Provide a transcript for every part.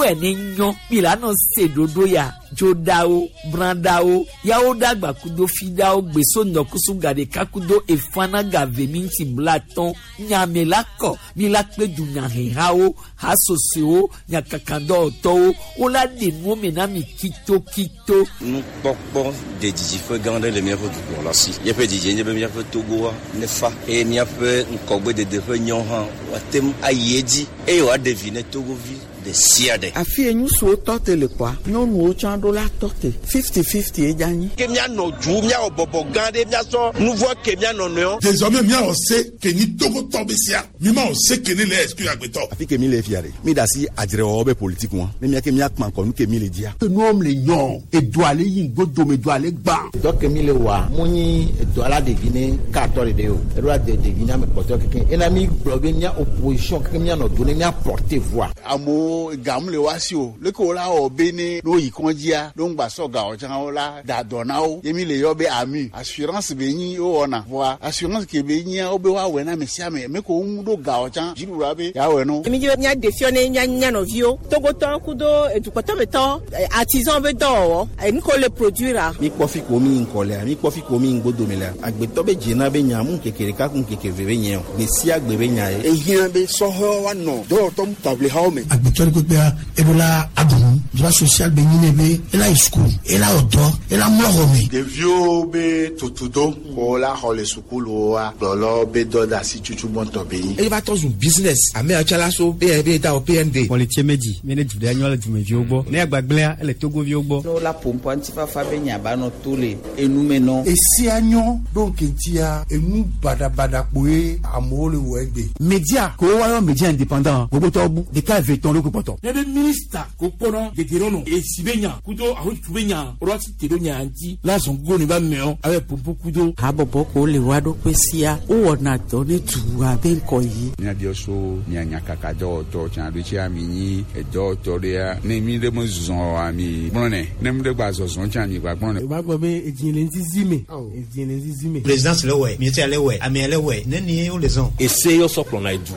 wɛ ne nyɔ mi la nɔ se ɖoɖo ya dzoɖawo brãɖawo yawo ɖagba kudo fiɖawo gbeso ŋdɔkusu gaɖeka kudo efana gave mi ŋuti blatɔn nyame la kɔ mi la kpe dunyahehawo hasosoewo nyakakadɔwɔtɔwo wola ɖe nuwo me na mi kitokito. Nukpɔkpɔ de didiƒe gã aɖe le míaƒe dukplɔla si. Míaƒe didie nye be míaƒe Togoa nefa eye míaƒe ŋkɔgbedede ƒe nyɔ hã woate ŋu ayi edzi eye wòaɖe vi ne Togovi ɖe sia ɖe. Afi ye ŋutsuwo tɔ te le kpɔa, nyɔnuwo tsã ɖo la tɔ te. Fifty-fifty ye dze anyi. Ke míanɔ du, míawɔ bɔbɔ gã ɖe, míasɔ nuvɔ ke mía nɔnɔewo. Désormais míawɔ se ke nyi Togotɔ be sea, mímawɔ se ke ne le exclure agbetɔ. Afi ke mi le fia ɖe, mi da asi adzrewɔwɔ be politique ŋua, ne mía ke mía kpã ŋkɔ nu ke mi le dzia. Enuwo le nyɔ, edoa le yi ŋgodo me, edoa le gbã. Dɔ ke mi le wɔa, mu nyi edoa la ɖevi ne katɔ ɖeɖe o, eɖo la de ɖevi ne ame kpɔtɔe kekeŋ. Ena mi gblɔ be mía opposition kekeŋ míanɔ do ne mía porter voix. Amewo gam le woa si o, leke wo la wɔ be ne ne woyi kɔndzia, ne wogba sɔ gawo tsã wo la da dɔ na wo. Ye mi le yɔ be AMU, assurance be nyi wowɔna. Vɔa assurance ke be nyia wo be woawɔe na ame sia ame. Ame kewo ŋu ɖo gawo tsã, dziɖuɖua be yeawɔe na wo. Mi dzi be míaɖe fiɔ ne mía mía nɔviwo, Togotɔwo kudo edukpɔtɔmetɔwo, artisan be dɔwɔwɔ, enu ke wole produire. Mi kpɔ fi ko mi ŋkɔ lea, mi kpɔ fi ko mi ŋgodome lea. Agbetɔ be dzena be nya mu ŋkeke ɖeka ku ŋkeke ve be nye o. Gbe sia gbe be nya ye. Ehiã be sɔhɛwo woanɔ dɔwɔtɔ taʋlihawo me. Agbetɔ ɖe kpekpea, eɖo la aɖu nu. Droit social be nyi nɛ be ela yi sukulu, ela wɔ dɔ, ela mlɔ xɔ me. Ɖeviwo be tutudo ko la xɔ le sukuluwoa, kplɔlawo be dɔdeasi tutu gbɔntɔ be nyi. Eye va trɔ zu business. Ame ya tsã la so be be da wɔ PND. Kpɔlitsie medzi mi ne du ɖe nyɔ le dumeviwo gbɔ. Ne agbagblẽa ele Togoviwo gbɔ. Ne wola ƒo ŋutifafa be nya ba nɔ to le enu me nɔ. Esia nyɔ ɖo ŋkeŋtia enu baɖabaɖa kpoe amewo le wɔ egbe. Media ko woayɔ media indépendant gbogbotɔwo bu ɖeka eve tɔn ɖokui kpɔtɔ. Ne be minista ko kpɔnɔ dedienɔnɔ esi be nya kudo ahotutu be nya woɖo asi te ɖo nya ŋuti la zɔn gogo ne ba mɛɔ abe pompo kudo. Habɔbɔ ko le woa ɖokui sia wowɔna dɔ ne dua be ŋkɔ yi. Míabiɔ so mia nyakaka dɔwɔtɔ tsã ɖo tsia mi nyi edɔwɔtɔ ɖea ne mi ɖe me zɔ oa mi gblɔnɛ ne mi ɖe gba zɔzɔ tsã mi gba gblɔnɛ. O b'a gbɔ be edzi le ŋzizi me. Edzi le ŋzizi me. Présidence le wɛ, ministère le wɛ, amea le wɛ, ne ni wo le zɔn. Ese yɔ sɔ kplɔna edu.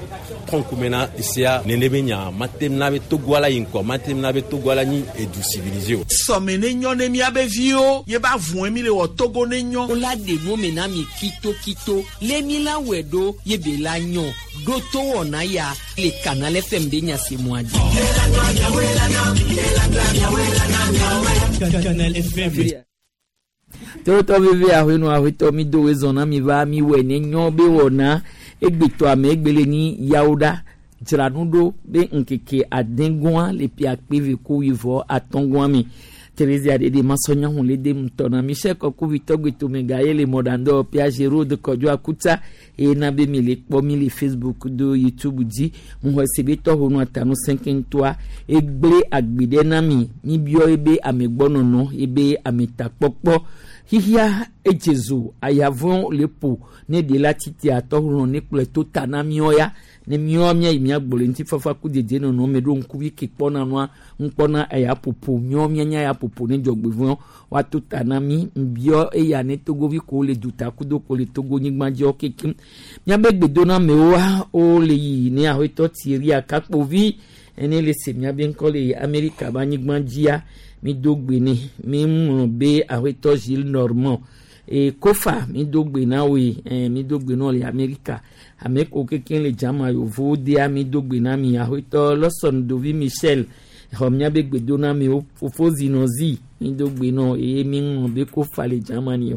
Trɔn kume na esea nene be nya mate na be Togoa la yi ŋkɔ mate na be Togoa la nyi edu civilisé o. Sɔme ne nyɔ ne míabe viwo ye ba vɔe mi le wɔ Togo ne nyɔ. Wola ɖe nuwo me na mi kitokito le mi la wɔe ɖo ye be la nyɔ ɖo to wɔna ya le Canal FM be nyasemɔa dzi. Canal FM. Tewotɔ veve ahoenu ahoetɔ mi do wezɔn na mi va mi wɔ ne nyɔ be wɔna egbetɔ ame egbele nyi yawo ɖa dzra nu ɖo be ŋkeke adegɔa le pia kpe ko wivɔ atɔgɔa mi Thérésia ɖeɖe masɔnyahu le de ŋutɔ na Michel Kɔkuvi tɔgbetome ga ye le mɔɖaŋdɔ pia Gérald Kɔdzo Akuta eye na be mi le kpɔ mi le Facebook do YouTube dzi ŋuxɔ se be tɔxɔ nu atanu sɛnkɛntɔa egblẽ agbe ɖe na mi mi biɔ ebe amegbɔnɔnɔ ebe ametakpɔkpɔ xixia edze zo ayavɔ le ƒo ne ɖe la titia tɔxɔ ne kplɔe to ta na miɔ ya ne miɔ mia yi mia gbɔ le ŋutifafa ku dedienɔnɔ me ɖo ŋkuvi ke kpɔna nua ŋkpɔna eya ƒoƒo miɔ mianya ya ƒoƒo ne dzɔgbevɔ̃ woato ta na mi ŋbiɔ eya ne togovi ko le duta kudo ko le togo nyigba dziɔ kekem miabe gbedonamewoa wole yi ne aƒetɔ Thierry Akakpovi ene le se miabe ŋkɔ le Amerika be anyigba dzia mi do gbe ne mi ŋlɔ be aƒetɔ Gilles Normand e kofa mi do gbe na woe mi do gbe na le Amerika ame ko kekem le dzama yovowo dea mi do gbe na mi aƒetɔ Lawson Dovi Michel xɔ miabe gbedonamewo fofo zinɔzi mi do gbe na eye mi ŋlɔ be kofa le Germany o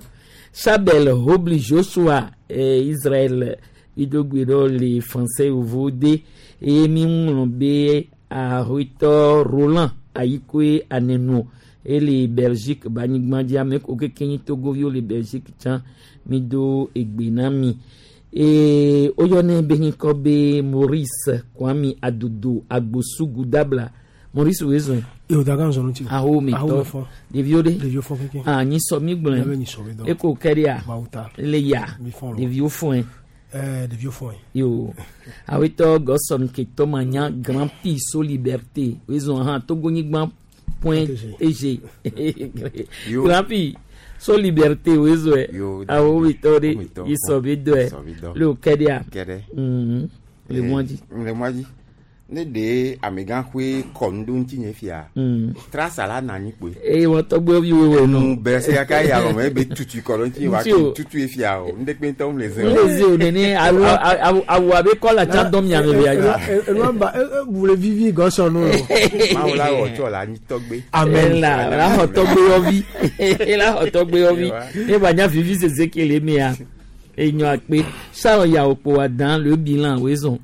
Chabel Hobli Joshua Israel mi do gbe na le français yovowo de eye mi ŋlɔ be aƒetɔ Roland Ayikoe Anenu ele Belgique banyigba dzi ame ko keke nyi togoviwo le Belgique tsã mi do egbe na mi ee woyɔnɛ be ŋkɔ be Maurice Kwame Adodo Agbosugu Dabla Maurice wezɔn. Yo daga nzɔ ŋuti. Awo mi tɔ ɖeviwo ɖe. Ɖeviwo fɔ keke. Ah nyisɔ mi gblɔe. Miabe nyisɔ mi dɔ. Eko kɛ ɖea. Mawu ta. Le ya. Mi fɔn lɔ. Ɖeviwo fɔe. Ɛɛ ɖeviwo fɔe. Yo awetɔ Gɔsɔn Ketɔma nya Grand Prix so Liberté wezɔn hã Togonyigba point tg Grand Prix so Liberté wezɔe. Awo mi tɔ ɖe yisɔ mi dɔe. Le o kɛ ɖea. Kɛ ɖe. Le mɔ dzi. Le mɔ dzi. Ne ɖe amegãxoe kɔ nu ɖo ŋutinye fia. Trasa la nɔ anyi kpoe. Eye wɔ tɔgbe vi wewe nɔ. Nu bɛ se kaka ya lɔmɔ ebe tutu kɔ ɖo ŋutinye wa Ŋuti o. ke tutu ye fia o. Ŋdekpe ŋutɔ mu le ze o. Le zi o nene awu awu awu abe kɔla tsã dɔm miame bia dzi. Enua ba bu le vivi gɔsɔ nu lo. Mawu la wɔ tsɔ la anyi tɔgbe. Amen. La la xɔ tɔgbe yɔvi. La xɔ tɔgbe yɔvi. Ne ba nya vivi sese ke le mea. Enyo akpe. Charles yawo kpo wa dan le bilan wezɔn.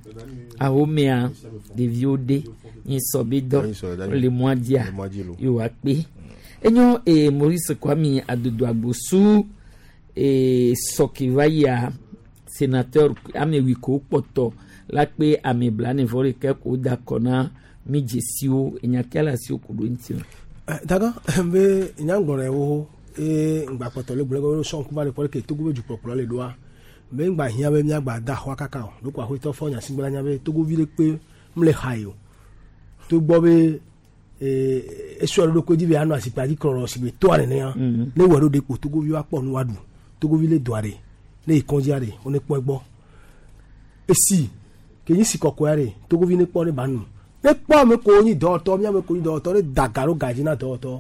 Awo mea ɖeviwo ɖe nyi sɔ be dɔ le mɔa dzia yewo akpe. Enyo ee Maurice Kwame Adodo Agbosu ee sɔke va yia sénateur ame wi ko kpɔtɔ la kpe ame blane vɔ ɖeka ko da kɔ na mi dzesiwo enyakea le asiwo ko ɖo ŋuti o. Daga be nyagbɔnɔ wo eye ŋgbakpɔtɔ le gblɔ be sɔn kuba le kpɔ ke Togo be dukplɔkplɔ le ɖoa be ŋgba hiã be miagba da xɔa kaka o ɖoko aƒetɔ fɔ nyasigbe nya be Togovi ɖe kpe mle xa yi o togbɔ be esɔ ɖo ɖokui dzi be anɔ asikpa dzi klɔlɔ si be toa nenea ne wɔ ɖo ɖe kpo Togovi wa kpɔ nu wa ɖu Togovi le doa ɖe ne yi kɔndzia ɖe wo ne kpɔ egbɔ esi ke nyi si kɔkɔea ɖe Togovi ne kpɔ ne ba nu ne kpɔ ame ko nyi dɔwɔtɔ miame ko nyi dɔwɔtɔ ne da ga ɖo ga dzi na dɔwɔtɔ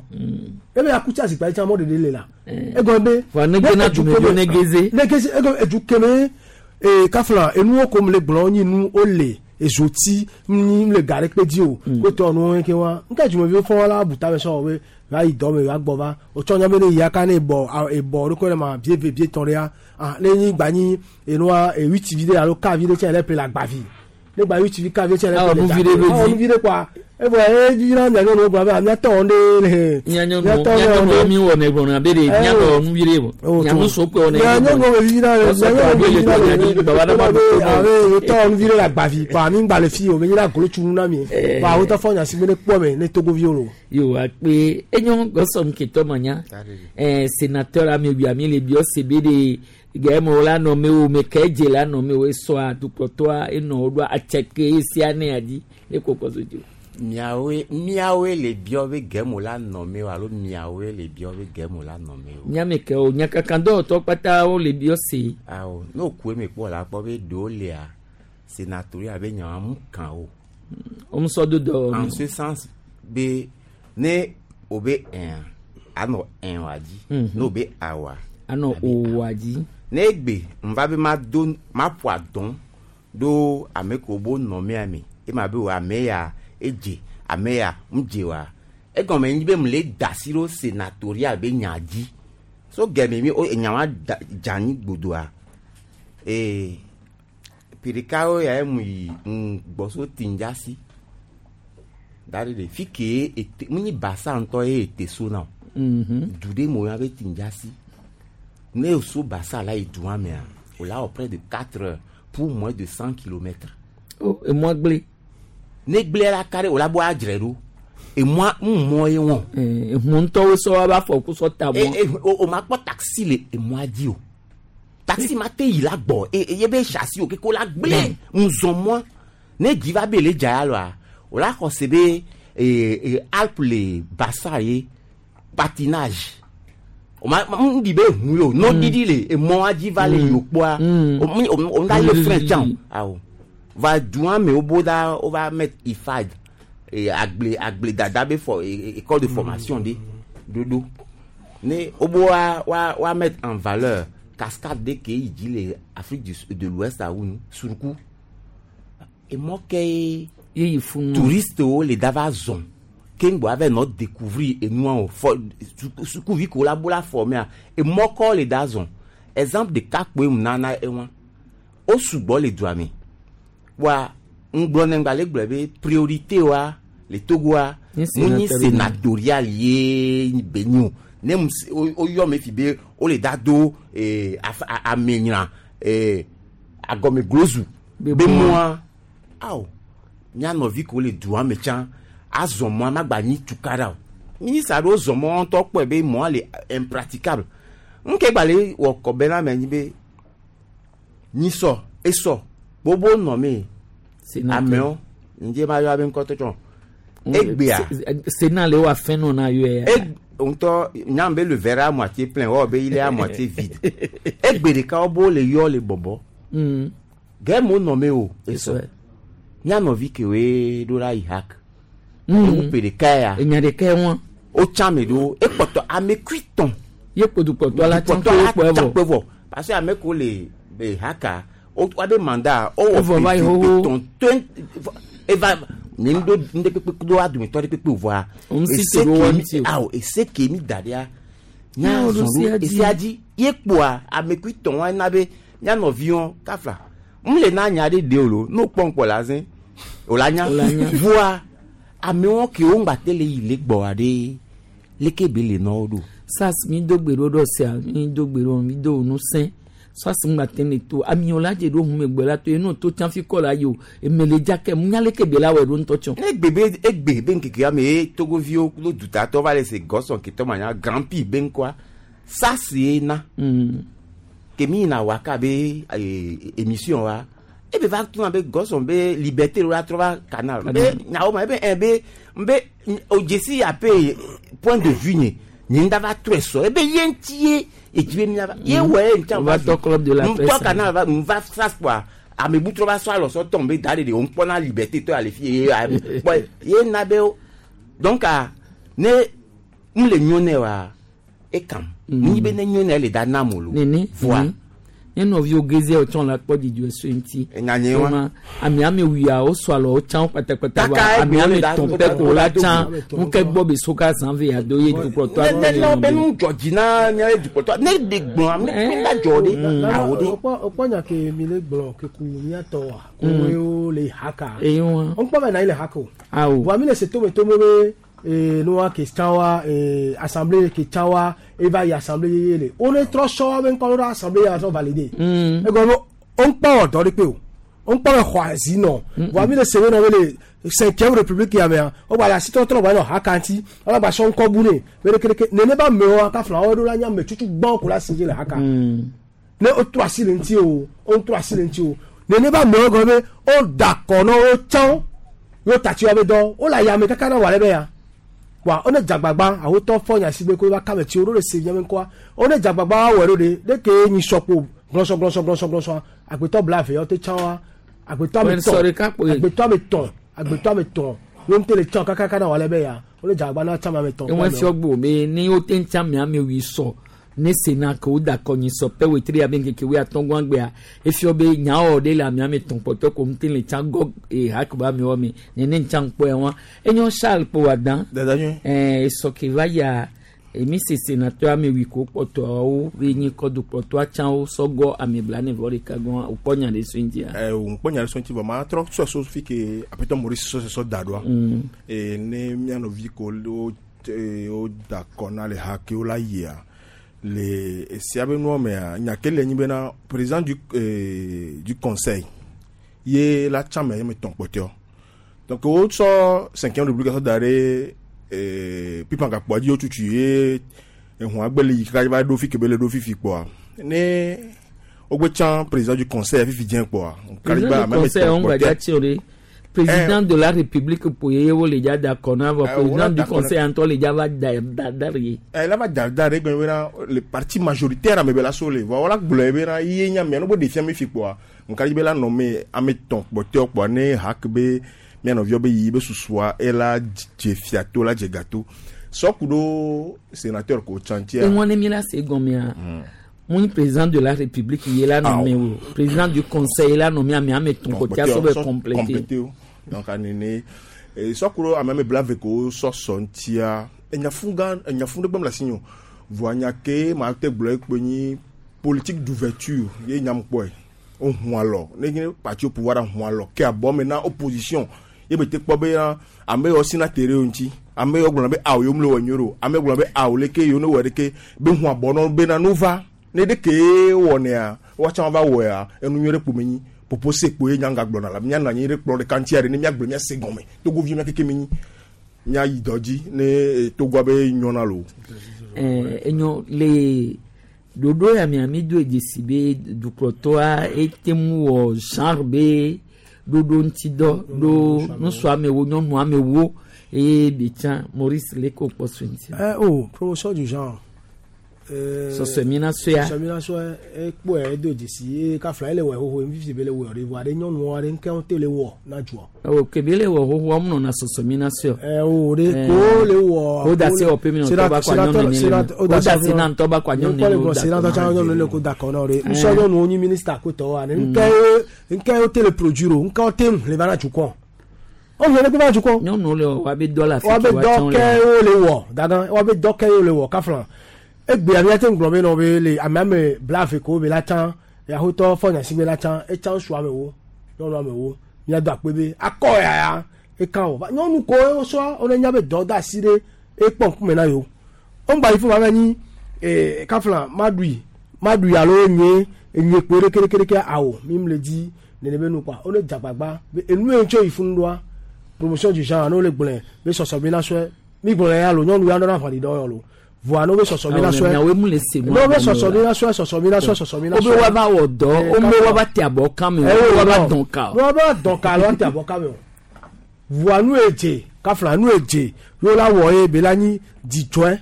ebe akutsa asikpa dzi tsã mɔ ɖeɖe le la egɔme be Vɔ ne gena edu dumeviwo keme- ne geze. ne geze egɔme edu keme ee kafla enuwo ko mu le gblɔ nyi nu wole ezoti nyi le ga ɖe kpe dzi o kotɔ nuwo ke wa nka dumeviwo fɔ wa la buta me sɔ be va yi dɔ me va gbɔ va wotsɔ nya be ne yia ka ne ebɔ ebɔ ɖo ko ne ma bie ve bie tɔn ɖe ya ah ne nyi gba nyi enua ewiti vi ɖe alo ka vi ɖe tsɛ le ƒle le agbavi ne gba ewiti vi ka vi tsɛ le Awɔ ƒle le nu vi ɖe be awɔ dzi. nu vi ɖe kɔa evɔ e vi na mia nyɔnuwo gblɔ be miatɔ wɔn ɖe le Mianyɔnuwo miatɔ wɔn mianyɔnuwo ɖe mi wɔ ne gbɔna be de mianɔ nu vi ɖe o. Mianu so kpe wɔ ne. mia nyɔnuwo be vivi na le mia nyɔnuwo be vivi na le Baba na ma be do. abe wotɔ nu vi ɖe le agbavi kpa mi ŋgba le fi o me nyina golo tsunu na mi kpa wotɔ fɔ nyasi be ne kpɔ me ne togoviwo lo. Yo akpe enyo gɔsɔ nketɔ manya. Ɛɛ sénateur ame wi ami le biɔ se be de gɛmɛ la nɔ me wo me kɛ dze la nɔ me wo esɔa dukplɔtɔa enɔ wo ɖo atseke esia ne adi ne kɔkɔ so dzi. Miawoe miawoe le biɔ be gɛmo la nɔ me o alo miawoe le biɔ be gɛmo la nɔ me o. Nyame ke o nyakaka dɔwɔtɔ kpata wo le biɔ se. Awo ne o ku eme kpɔ la kpɔ be ɖewo lia sénatoria be nyawo mu kan o. Wo sɔ do dɔ. En ce sens be ne o be ɛn anɔ ɛn wa dzi. Ne o be awa. Anɔ o wa dzi. Ne egbe nva be ma do ma ƒo adɔn ɖo ame ko bo nɔ mea me ema be o ame ya edze ame ya ŋdze wa egɔme nyi be mu le da asi ɖo sénatoria be nya dzi so gɛmɛ mi o enya wa da dze anyi gbodoa ee pirikawo ya mu yi ŋgbɔ so tindzasi da ɖe ɖe fi ke ete mu nyi basa ŋutɔ ye ete so na o du ɖe me woyɔna be tindzasi ne o so basa la yi dua mea o la wɔ près de 4 heures pour moins de 100 kilomètres. O emɔ gblẽ. Ne gblẽ la ka ɖe o la bɔ adzre ɖo emɔa ŋu mɔ ye wɔn. Ehun ŋutɔwo sɔ wa ba fɔ ko sɔ ta mɔ. E, e, o, o ma kpɔ taxi le emɔa dzi o taxi ma te yi la gbɔ e, e, ye be chassis o keko la gblẽ ŋzɔ mɔa ne dzi va be le dza ya lɔa o la xɔ se be e, e, alpe le basa ye patinage o ma n di be hu ye o n'o didi le emɔa dzi va le yokpoa o mi o o da le frein tsã o awɔ va dua me wo bo da wo va mettre ifad e agble agble dada be fɔ e, e, école de formation de dodo ne wo bo wa wa wa mettre en valeur cascade de ke yi dzi le Afrique du de l'Ouest awu nu suruku emɔ ke ye yeyi funu touriste wo le da va zɔn ke ŋgbɔ ava nɔ découvrir enua o fɔ sukuvi ko la bo la formea emɔ kɔ le da zɔn exemple ɖeka kpoe mu nana ewa wo sugbɔ le dua me wa ŋgblɔ ne ŋgba le gblɔ be priorité wa le Togoa Nye mu nyi sénatorial. sénatorial ye be nyi o ne mu se- wo wo yɔ me fi be wo le da do ee af a- amenyra ee agɔmeglozu Be be mɔa. mɔa awo mía nɔvi ko le dua me tsã azɔ mɔa ma gba nyi tukaɖa o minista ɖewo zɔ mɔ ŋutɔ kpɔe be mɔa le impraticable ŋke gba le wɔ kɔbɛ na me nyi be nyisɔ esɔ gbogbo nɔ me Sénateur. amewo ŋdze ma yɔ abe ŋkɔtɔ tsɔ egbea Sénat le wa fɛn nɔ na yɔ ya. ŋutɔ nyam be le verre à moitié plein wɔwɔ be il est à moitié vide egbe ɖeka wo bo le yɔ le bɔbɔ gɛmo nɔ me o esɔ Esɔ. Mía nɔvi kewoe ɖo la yi hak. Ewu ƒe ɖeka ya. Enya ɖeka ye wɔn. Wotsã ame ɖewo ekpɔtɔ ame kui tɔn. Ye kpo dukplɔtɔ la tsã Dukplɔtɔ la kpe tsã vɔ. kpe vɔ parce que ame kewo le le haka wo woabe mandat wowɔ Evɔ va yi ƒe xoxo. tɔn tɔn eva ne ŋdo ŋɖe kpekpe do adometɔ ɖe kpekpe vɔa. Ŋuti ese to ɖo ke wɔn mi- ŋuti o. Awo ese ke mi da ɖea. Nya Nya wo ɖo zɔn sea ɖo dzi. esea dzi ye kpoa ame kui tɔn wa na be mía nɔviwo kafla m le na nya ɖe ɖe o lo n'o kpɔ ŋkpɔ la zẽ o la nya O la nya. voa amewo kewo ŋgba te le yi le gbɔa ɖe leke be le nɔ wo ɖo. Sas mi do gbe ɖo ɖo sia mi do gbe ɖo mi do nu sẽ sas ŋgba te ne to amiwo la dze ɖo hume gbe la to enu to tsã fi kɔ la yi o eme le dza ke mu nya leke be la wɔ ɖo ŋutɔ tsɔ. Ne egbe be egbe be ŋkeke ame ye togoviwo kudo dutatɔ va le se gɔsɔn ketɔ ma nya grand prix be ŋkɔa sasi ye na. Ke mi yina waka be émission wa ebe va tuna be gɔsɔn be liberté lo la trɔ va canal be nyawo ma ebe ɛ be nbe o dzesi ape point de vue nye nye ŋda va trɔe sɔ ebe ye ŋuti ye edzi be mia va ye wɔ ye ŋuti Va tɔ club de la ŋutɔ presse. canal va ŋva sas kpoa ame bu trɔ va sɔ alɔ sɔ tɔn be da de de o ŋkpɔna liberté tɔ ale fi ye a kpɔ ye na be o donc a ne n le nyo nɛ wa ekam ni be ne nyo nɛ le da nam o lo Nene voa nene. Ne nɔviwo geze tsɔ la kpɔ dzidzɔ so ŋuti. Enya wa. Ema, Ame ame wuiawo sɔ alɔ wo tsã wo kpatakpata Kaka vɔ ame egbe ame wo le da- tɔn pɛ ko la tsã Ame tɔn ŋukɛ gbɔ be so ka zã ve ado ye dukplɔtɔ ne ne ne be nu dzɔ dzi na mía dukplɔtɔ ne de gblɔ ame ne da dzɔ de awo de Okpɔ nya ke mi le gblɔ ke ku mía tɔ wa ko wo le haka. Eyi wa. Ŋkpɔ bɛ na yi le haka o. Awo. Wa mi le se tome tome be nuwa ke tsã wa assemblée ke tsã wa eva yi assemblée yeye le. Wo ne trɔ sɔ wa be ŋkɔ ɖo assemblée ya sɔ validé. Egɔme o ŋkpɔ wɔ dɔ ɖe kpe o. Ŋkpɔ bɛ xɔ azi nɔ. Wa mi le se be nɔ be le cinquième république ya mea wo gba le asitɔtrɔ gba nɔ haka ŋuti wala gba sɔ ŋkɔ bu ne be ɖekeɖeke nene ba mewoa kafla wo ɖo la nye ame tutu gbɔn ko la si dzi le haka ne o trɔ asi le ŋuti o o trɔ asi le ŋuti o nene ba mewo gɔme be o da kɔ na wo tsã wo tati wa be dɔ wo le ayame kaka na wà lɛ bɛ ya wa wo ne dzagbagba awotɔ fɔ nya si be ko va kame tsi wo ɖo le se miame ŋkɔa wo ne dzagbagba wa wɔ ɖo ɖe ɖeke nyi sɔkpo glɔsɔ glɔsɔ glɔsɔ glɔsɔ agbetɔ bla ve yɔ te tsã wa agbetɔ ame Wɛn sɔ tɔn ɖeka kpoe. agbetɔ ame tɔn agbetɔ ame tɔn wo ŋute le tsã kakaka na wà lɛ bɛ ya wo ne dzagbagba na tsã ame tɔn Eŋue fiɔ gbo be ne wo te ŋuti ame ame wui sɔ ne sena ke wo da kɔ nyi sɔ pɛ wetri abe ŋkeke wui atɔ̃ gbɔn gbea efiɔ be nyawo ɖe le ame ame tɔn kpɔtɔ ko ŋuti le tsã gɔ e hak ba amewo me nene ŋtsã ŋkpɔ ya wa enyo Charles kpo wa dan ɛɛ esɔ ke va yia emi se sénateur ame wui ko kpɔtɔawo be nyi kɔ dukplɔtɔa tsã wo sɔ gɔ ame blanɛ vɔ ɖeka gɔn wòkpɔ nya ɖe so ŋutia. Ɛ o ŋkpɔ nya ɖe so ŋuti vɔ ma trɔ sɔ so fi ke aƒetɔ Maurice sɔ sɔ da ɖoa. Ee ne mía nɔvi ko wo wo da kɔ na le ha ke wo la yia le esia be nua mea nya ke le nyi bena président du conseil ye la tsã me ye me tɔn kpɔtɔe donc wo tsɔ cinquième république sɔ da ɖe pipan gakpoa dzi wotutu ye ehun agbe le yi kaka va ɖo fi ke be le ɖo fifi kpoa ne wogbe tsã président du conseil fifi dze kpoa Président du conseil on gba dza tsi o ɖe président de la république po ye wo le dza da kɔ na vɔ Eh, président wo la du da kɔ na- conseil ŋutɔ le dza va da da da ɖe. Eh, la va da da ɖe gblɔ bena le parti majoritaire ame be la so le vɔ wola gblɔe bena ye nya mia no be ɖe fia mi fi kpoa ŋka dzi be la nɔ me ame tɔn kpɔtɔe kpoa ne hak be mia nɔviwo be yi be susua ela dze fia to la dze gato sɔku ɖo sénateur ko tsã ŋutia. Eŋua ne mi la se gɔmea mu nyi président de la république ye la nommé o président du conseil la nommé ame ame tɔn kpɔtɔa sɔ bɛ complété. complété o donc anene sɔku ɖo ame ame bla ve ko sɔsɔ ŋutia enyafu gã enyafu ɖe gbem le asi nye o voa nya ke ma te gblɔ ekpe nyi politique d'ouverture ye nyam kpɔe wo hu alɔ ne nye parti au pouvoir hu alɔ ke abɔ me na opposition ye be te kpɔ be na ame yiwo sina te ɖe wo ŋuti ame yiwo gblɔna be awo yewo mle wɔ nyuie o ame yiwo gblɔna be awo leke yewo ne wɔ ɖeke be hu abɔ na wo bena no va ne ɖeke wɔnɛa woatsã va wɔea enu nyuie ɖe kpo me nyi popo se kpo ye nyanga gblɔna la míanɔ anyi ɖe kplɔ ɖeka ŋutia ɖe ne míagblɔ míase gɔme togovi mía keke mi nyi míayi dɔ dzi ne togoa be nyɔna lo. Ɛɛ enyo le ɖoɖo ya mea mi do dzesi be dukplɔtɔa ete ŋu wɔ genre be ɖoɖo ŋuti dɔ ɖo ŋutsu amewo nyɔnu amewo eye be tsã Maurice le ko kpɔ so ŋuti. Eh, oh, promotion du genre. Sɔsɔmina sɔea. Sɔsɔmina sɔe ekpɔe edo dzesi ye kafla ele wɔ xoxo fifi be le wɔ ɖe vɔa ɖe nyɔnuwo aɖe ŋke te le wɔ na dzuɔ. O kebe le wɔ xoxo wɔm nɔna sɔsɔmina sɔe. Ɛ o ɖe ko le wɔ. O da se wɔ pe mi nɔ tɔba kɔ anyɔnu ne le. O da se na ntɔba kɔ anyɔnu ne le. O da se na nyɔnu ne le ko da kɔ na o de. Nsɔ nyɔnuwo nyi minista ko tɔ wa ne ŋke ŋke wo te le produire o ŋke wo te le va na dukɔ. O le le va dukɔ. Nyɔnuwo le wɔ wa be dɔ la fi Wa be dɔ kɛ wo le wɔ dada wa be dɔ kɛ wo le wɔ kafla egbea mi ate ŋgblɔ be nɔ be le ame ame blave ko be la tsã yaxotɔ fɔnyasi be la tsã etsã ŋutsu amewo nyɔnu amewo miado akpe be akɔ yaya eka wɔ va nyɔnu ko wosɔ wone nya be dɔ da asi ɖe ekpɔ ŋkume na yewo woŋgba yi fún ma be nyi ee kafla maɖui maɖui alo nye enye kpo ɖe kerekereke awo mi le dzi nene be nu kpa wone dzagbagba be enu ye tso yi fún ɖoa promotion du genre ne wole gblɔe be sɔsɔ bi na sɔe mi gblɔ ya lo nyɔnu ya nɔna ʋɔni dɔ yɔ lo voa ne wo be sɔsɔ mi na sɔe Miawoe mu le se ne wo be sɔsɔ mi na sɔe sɔsɔ mi na sɔe sɔsɔ mi na O be sɔe wa va wɔ dɔ, o be wa va te abɔ kame o, Eh, wa va non. dɔn ka o. Ne wa va dɔn ka alo wa te abɔ kame o voa nu ye dze kafla nu ye dze yewo la wɔ ye be la nyi dzidzɔe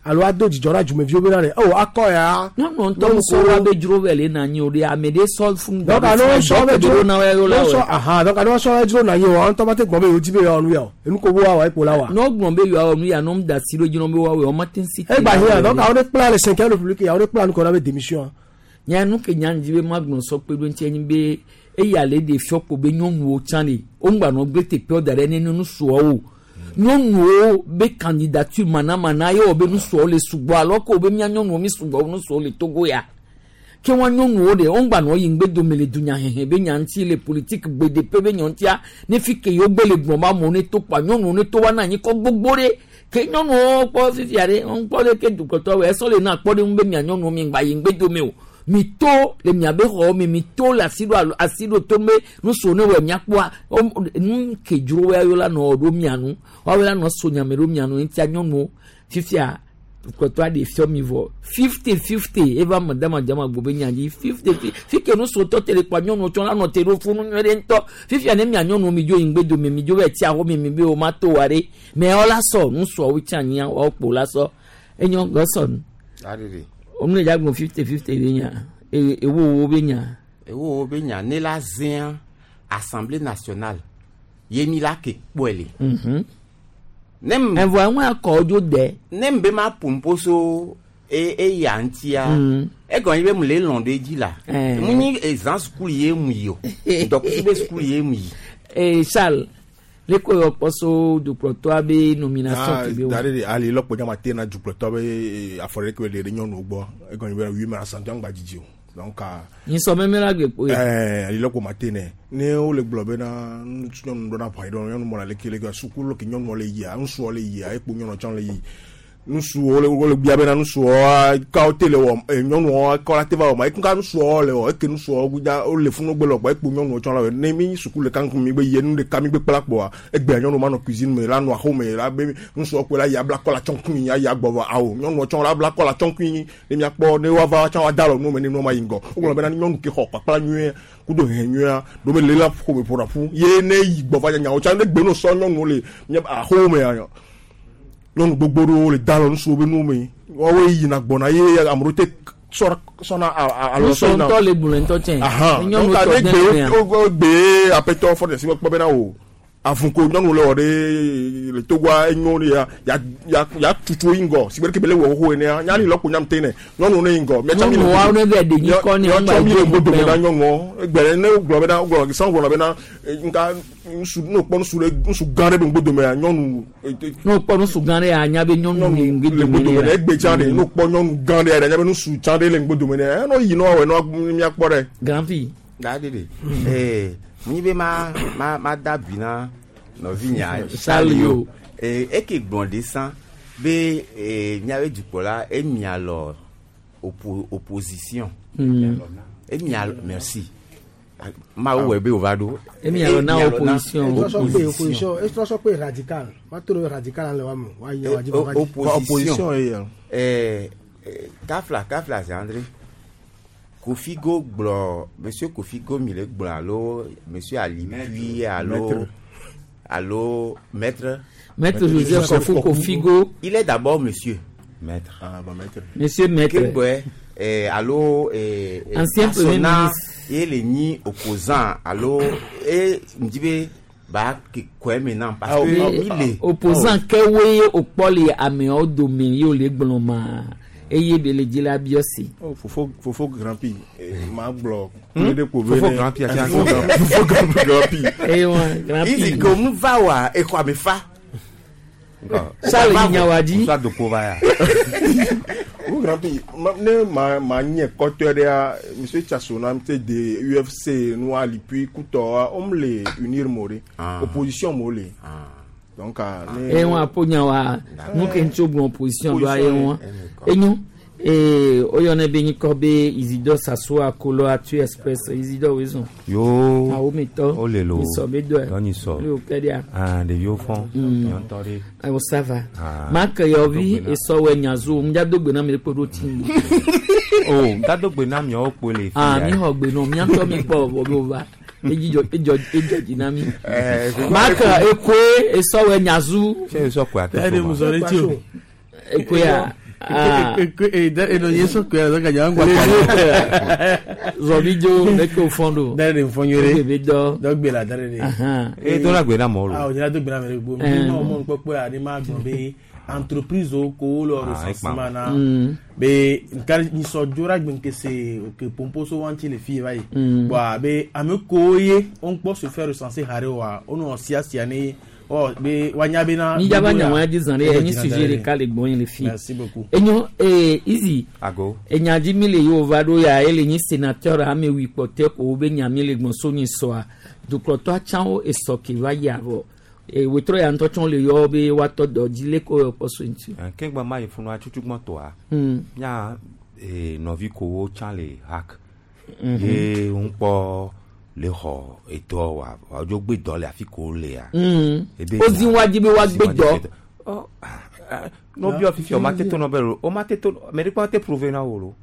alo ado dzidzɔ na dzumeviwo be na le o akɔ ya. Nyɔnu ŋutɔ ŋusɔ wa be dzro vɛ le na anyi o ɖe ame ɖe sɔ fún donc alo sɔ bɛ dzro na wa yɔ la ne sɔ wɔ. aha donc alo sɔ bɛ dzro na anyi o ŋutɔ ba te gbɔn be yewo dzi be yewoa nu ya o enu ko bo wa wa ekpo la wa. N'o gblɔ be yewoawɔ nu ya n'o da si ɖo dzi n'o be woawɔ wɔma te si. egba hiã donc awo de kpla le cinquième république awo de kpla nu kɔ na be démission. Nya nu ke nya ŋdi be magblɔ sɔ kpe ɖo ŋuti enyi be eya le ɖe fiɔ ko be nyɔnuwo tsã le wo ŋgba nɔ gbe teƒewo da ɖe ne nusuawo nyɔnuwo be candidature manamana ye wɔ be nusuawo le sugbɔ alo ko be mía nyɔnuwo mi sugbɔ nusuawo le Togo ya ke wa nyɔnuwo ɖe wo ŋgba nɔ yi ŋgbe dome le dunyahehe be nya ŋuti le politique gbedeƒe be nya ŋutia ne fi ke yewo gbe le gblɔm be amewo ne to kpa nyɔnuwo ne to wa na anyi kɔ gbogbo ɖe ke nyɔnuwo kpɔ fifia ɖe wo kpɔ ɖe ke dukɔtɔ wɔ esɔ le na kpɔ ɖe ŋu be mia nyɔnuwo mi ŋgba yi ŋgbe dome o mi to le miabe xɔwo me mi to le asi ɖo alo asi ɖo to me nusiwo ne wɔ miakpɔa wo nu ke dzro wa yɔ la nɔ ɖo mia nu woawo la nɔ so nyame ɖo mia nu ŋutia nyɔnuwo fifia dukɔtɔ aɖe fiɔ mi vɔ 50-50 eva me dama dama gbo be nya dzi 50 fi ke nusiwo tɔ te le kpa nyɔnuwo tsɔ la nɔ te ɖo funu nyuie ɖe ŋutɔ fifia ne mia nyɔnuwo mi dzo yi ŋgbe dome mi dzo va tsi axɔ mi mi be wo ma to wa ɖe mɛ woawo la sɔ nusuawo tsi anyia woawo kpo la sɔ enyo gɔsɔ nu Aɖeɖe. omle dza gblɔ 50-50 be nya eye ewo wo be nya. Ewo wo be nya ne la zẽa assemblée nationale ye mi la ke kpɔe le. Ne m. Evɔ eŋu akɔ dzo de. Ne m be ma ƒo so e eya ŋutia. Egɔme nye be mu le lɔn ɖe edzi la. Eh. Mu nyi ezã sukulu ye mu yi o. Dɔkusu be sukulu ye mu yi. Ee Charles le ko yɔ kpɔ so dukplɔtɔa be nomination ke be da wɔ. ɖe de ali lɔkpo nyama te na dukplɔtɔ be afɔ ɖe ke be ɖe nyɔnuwo gbɔ egɔme nye be wi me asante ŋgba dzidzi o donc Nyisɔ mɛmɛ la gbe kpo ye. ɛɛ ali lɔkpo ma te nɛ ne wole gblɔ bena ŋutsu nyɔnu ɖo na ʋɔ yi ɖo nyɔnu mɔna leke leke sukulu ke nyɔnuwo le yia ŋutsuwo le yia ekpo nyɔnuwo tsã le yi nusuwo le wole bia bena nusuwo kawo te le wɔ ɛ nyɔnuwo kawo la te va wɔ ma ekuka nusuwo le wɔ eke nusuwo gudza wole funu gbe le wɔ ekpo nyɔnuwo tsã la wɔ ne mi sukulu ɖeka ŋkume mi gbe yie nu ɖeka mi gbe kpla kpɔa egbea nyɔnuwo ma nɔ cuisine me la nɔ axome la be nusuwo kpe la yi abla kɔ la tsɔ ŋkui ayi agbɔ vɔ awo nyɔnuwo tsã la abla kɔ la tsɔ ŋkui ne miakpɔ ne woava tsã woada alɔ nu me ne nua ma yi ŋgɔ wogblɔ bena nyɔnu ke xɔ kpakpla nyuie kudo hɛn nyuia ɖo be le la ƒome ƒona ƒu ye ne yi gbɔ va nyawo tsã ne gbe no sɔ nyɔnuwo le mia axome ya nyɔnu gbogbo ɖewo le da alɔ nusuwo be nuwo me woawoe yina gbɔna ye ame ɖewo te sɔna sɔna alɔ Nusɔ sɔna ŋutɔ le gblɔ ŋutɔ tsɛ. ahan Nyɔnu donc tɔ ne den gbe mea. wo gbe apɛtɔ fɔ ɖe si kpɔ bena o avuko nyɔnu le wɔ ɖe le Togoa enyo ɖe ya ya ya ya tutu yi ŋgɔ si be ɖeke be le wɔ xoxo enea nyali lɔkpo nyam te ne nyɔnu ne yi ŋgɔ miatsɔ mi le Nyɔnu woawo ne vɛ ɖe nyikɔ ne miatsɔ mi le ŋgba ŋgɔ dome yi na nyɔnuwo egbe ɖe ne wogblɔ bena wogblɔ san gblɔ bena nka ŋutsu ne wokpɔ ŋutsu ɖe ŋutsu gã ɖe be ŋgɔ domea nyɔnu Ne wokpɔ nusu gã ɖe anya be nyɔnu le ŋgbe le dome ŋgɔ dome ne ne egbe tsã ɖe ne wokpɔ nyɔnu gã ɖe anya be ŋutsu tsã ɖe le ŋgɔ dome ne enɔ yi ne woawɔe ne miakpɔ ɖe. Grand fille. Da ɖeɖe. Ee mu nyi be ma ma ma da bi na nɔvinya Charles yo. Ee eke gblɔ ɖe sã be ee miabe dukplɔla emia lɔ opposition. Emia merci. Mawu wɔ be wòva ɖo. Emia lɔ na opposition. Etrɔ sɔ kpe opposition etrɔ sɔ kpe radical ma to ɖe radical le wa me wa yi wa dzi va dzi. Opposition. Ee kafla kafla Zandre. Kofigo gblɔ monsieur Kofigo mi le gblɔ alo monsieur Ali Pui alo Maître. alo maître. Maître Joseph Kofi Kofigo. Il est d'abord monsieur. Maître. Ah, bah, maître. Monsieur maître. Kegbɔe alo Ancien premier Asona ministre. ye le nyi opposant alo e ŋdi be ba ke kɔɛ maintenant parce que mi le. Opposant kɛwoe wòkpɔ le ameawo dome ye wòle gblɔ ma eye be le dzi la biɔ si. Oh, fofo fofo grand pi ma gblɔ. Fofo grand pi ati fofo grand fofo grand pi. Eye wa grand pi. Izi ko mu va wa exɔ ame fa. Charles Nyawadji. Musa dopo va ya. Fofo grand pi ne ma ma nye kɔtɔ ɖea monsieur Tchasona te de UFC nua lipui kutɔa wom le unir mo ɖe opposition mo le. Donc ah, ne. Eye wa aƒo nya wa nu ke ŋuti wogblɔ opposition ɖoa ye wa enyo ee woyɔnɛ be nyikɔ be Isidore Sassou Akolo Atu Express Isidore wezɔn. Yo. Awo mi tɔ. O le lo. Misɔ be dɔe. Yɔ nyisɔ. Ne o kɛ ɖia. Ah, ɖeviwo fɔn. Nyɔntɔ ɖe. Ayiwa ça va. Ah. Marc Yɔvi esɔwɛ nyazu ŋdza gbe na mi ɖe kpe ɖo ti. O dado gbe na miawo kpo le fi Ah ya. mi xɔ gbe nɔ miatɔ mi kpɔ vɔ be wova edzɔ edzɔ edzɔ dzi na mi. Eh, Marc Ekoe esɔwɛ nyazu. Ṣé esɔ koe ate Ɛdi musɔ ɖe tsi o. Ekoea. Ah. Eno ye sɔ koe la sɔ ka Zɔbidzo leke o fɔn do. Dare de fɔn yore. Ebe dɔ. Dɔ gbe la dare de. Ahan. E dɔ la gbe na mɔwo lo. Ah, o nyina do gbe na mɛ gbɔ. Mi ma mɔ kpɔkpɔ ya ni ma gbɔ be entreprise wo ko wo le Ah, recensement na. Mm. Be nka nisɔ dzora gbe nkese ke pompo so wanti le fi va yi. Bon a be ame kowo ye wo ŋkpɔ se faire recenser hare wa wo nɔ siasia ne ɔ be wa nya be na. Mi dzaba nya wɔn dzi zan ɖe enyi sujet ɖeka le gbɔ yin le fi. Merci beaucoup. Enyo ee Izi. Ago. Enya dzi mi le yi wova ɖo ya ele nyi sénateur ame wi kpɔtɛ ko wo be nya mi le gbɔn so nyi sɔa dukplɔtɔ atsãwo esɔ ke va yia vɔ ee wetrɔ ya ŋutɔ tsã le yɔ be woatɔ dɔ dzi le ko kpɔ so ŋuti. Kengba ma yi funu atsutsugbe tɔa. Nya nɔvi kowo tsã le hack. Ye ŋkpɔ le xɔ edɔ wa wadzo gbe dɔ le afi ko lea. Ebe Wozi wa dzi be woagbe dɔ. Ɔ n'o biɔ fifi o ma te to nɔ bɛ lo o ma te to mɛ ɖekpe ma te prouver na wo lo.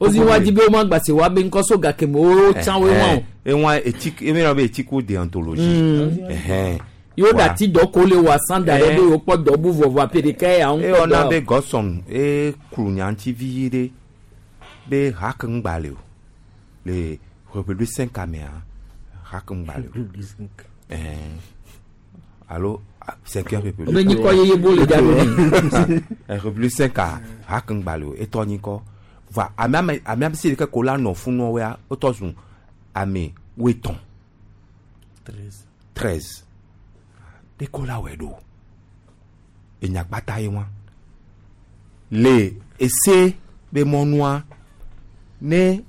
Wozi wa dzi be wo ma gbase wa be ŋkɔ so gake me wo tsã wo wa o. Ewa éthique emi na be éthique ou déontologie. Ɛhɛn. Yewo dati dɔ ko le wɔ san da ɖe be yewo kpɔ dɔ bu vɔvɔ afi ɖeka ya ŋu E kpɔ wɔna be dɔ. Godson e klu nyaŋuti vi ɖe be hack ŋgba le o le République cinq amea hack ŋgba le o. Ɛhɛn. Alo cinquième république. Wobe nyikɔ yeye bo le dza ɖo nɛ. République cinq a hack ŋgba le o etɔ nyikɔ va ame ame ame ame si ɖeke ko la nɔ funu woa wotɔ zu ame woetɔn. 13 ɖeko la wɔe ɖo enyagbata ye wa le ese be mɔnua ne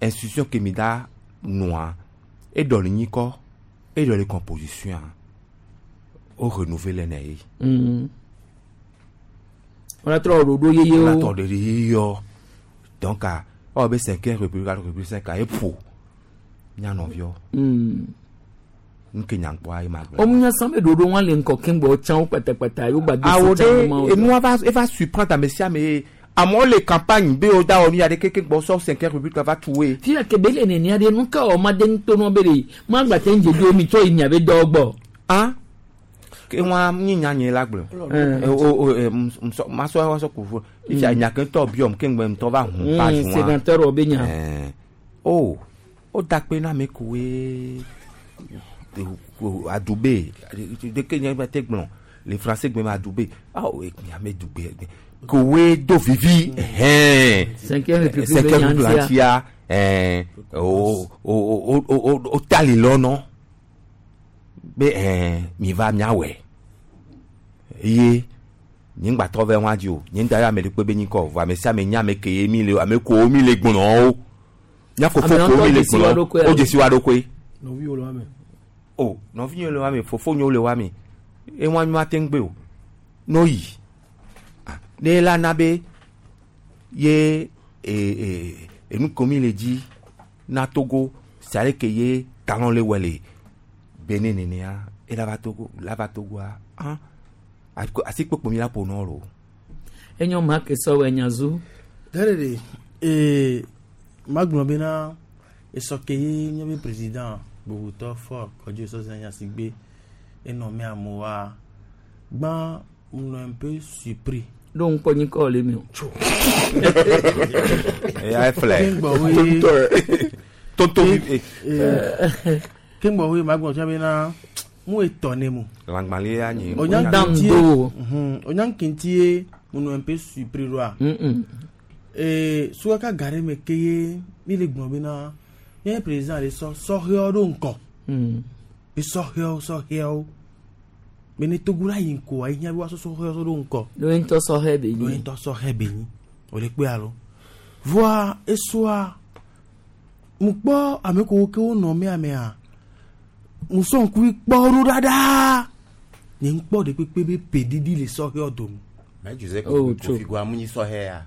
institution ke mi da nɔa eɖɔ le nyikɔ eɖɔ le composition o renouveler ne ye. Wọ́n trɔ ɖoɖo yeyewo. Wọ́n trɔ ɖoɖo yeyewo donc ɔ be cinquième république alo république cinq a eƒo nyanɔviwo. Nke nyankpɔ ayi ma gblɔ. Womu san be ɖoɖo wọn le ŋkɔ keŋgbɔ tsã wo kpatakpata yewo gba do awo se tsã wo ɖe ma wo. enua va eva surprendre ame sia ame ye amewo le campagne be wo da wɔ nu ya ɖe keke gbɔ sɔ cinquième république va tu woe. Fia ke be le nenia ɖe nu ka wɔ ma de ŋutɔ nɔ be ɖe ma gba te ŋdze do mi tsɔ yi miabe dɔwɔ gbɔ. Ah ke wa nyi nya nye la gblɔ. O o musɔ masɔ wa sɔ kufu ifia nya ke ŋutɔ biɔm ke ŋgbɛ ŋutɔ va hun page wa. Sénateur wɔ be nya. O o da kpe na ame koe adube deke nye be te gblɔ le français gbe me adube awo ame dugbe kowe do vivi. Cinquième république cinquième be république nya ŋutia ɛɛ o o o o o tali lɔnɔ be ɛɛ mi va miawɔe eye nye ŋgbatɔ vɛ ŋua dzi o nye ŋda yɔ ame ɖekpe be nyikɔ vɔ ame sia ame nya ame ke ye mi le ame kowo mi le gblɔ wo nya fofo Ame kowo mi ŋutɔ le dzesi wa gblɔ ɖokoe wo dzesi wa ɖokoe nɔviwo le wa me. o nɔvinyewo le wa me fofonyewo le wa me eŋua mi ma te ŋu gbe o n'o yi Ah, ne la na be ye e e enu ko mi le dzi na Togo sale ke ye talon le wɔ le Benin nenea ela va Togo la va Togoa ah asikpokpo mi la ƒo nɔ lo. Enyo ma ke sɔwɔ nyazu. Dare de ee magblɔ bena esɔ ke ye nye be président gbogotɔ fɔ kɔdzi sɔsɔ nyasigbe enɔ me amewoa gbã nɔ un peu surpris. Ɖo ŋkɔ nyikɔ le mi o. Eya eflɛ. Tonto vi. Ke ŋgbɔ we ma gbɔ tsɛ bena mu etɔ ne mu. Lãgbalẽ ya nyi. Onya kenti ye mu nɔ un peu surpris ɖoa. Ee sukaka ga ɖe me ke ye mi le gblɔ bena nye président le sɔ sɔhɛwo ɖo ŋkɔ. Be sɔhɛwo sɔhɛwo. Be ne Togo la yi ŋkɔa ehiã be woasɔ sɔhɛwo ɖo ŋkɔ. Ɖo ŋutɔ sɔhɛ be nyi. Ɖo ŋutɔ sɔhɛ be nyi. O le kpe alo. Voa esɔa mu kpɔ ame kewo ke wonɔ mea mea mu sɔ ŋkuvi kpɔ ɖo ɖaɖa. Nye ŋkpɔ ɖe kpekpe be peɖiɖi le sɔhɛwo dome. Mais Joseph Oh, Kofi Goa mu nyi sɔhɛ ya.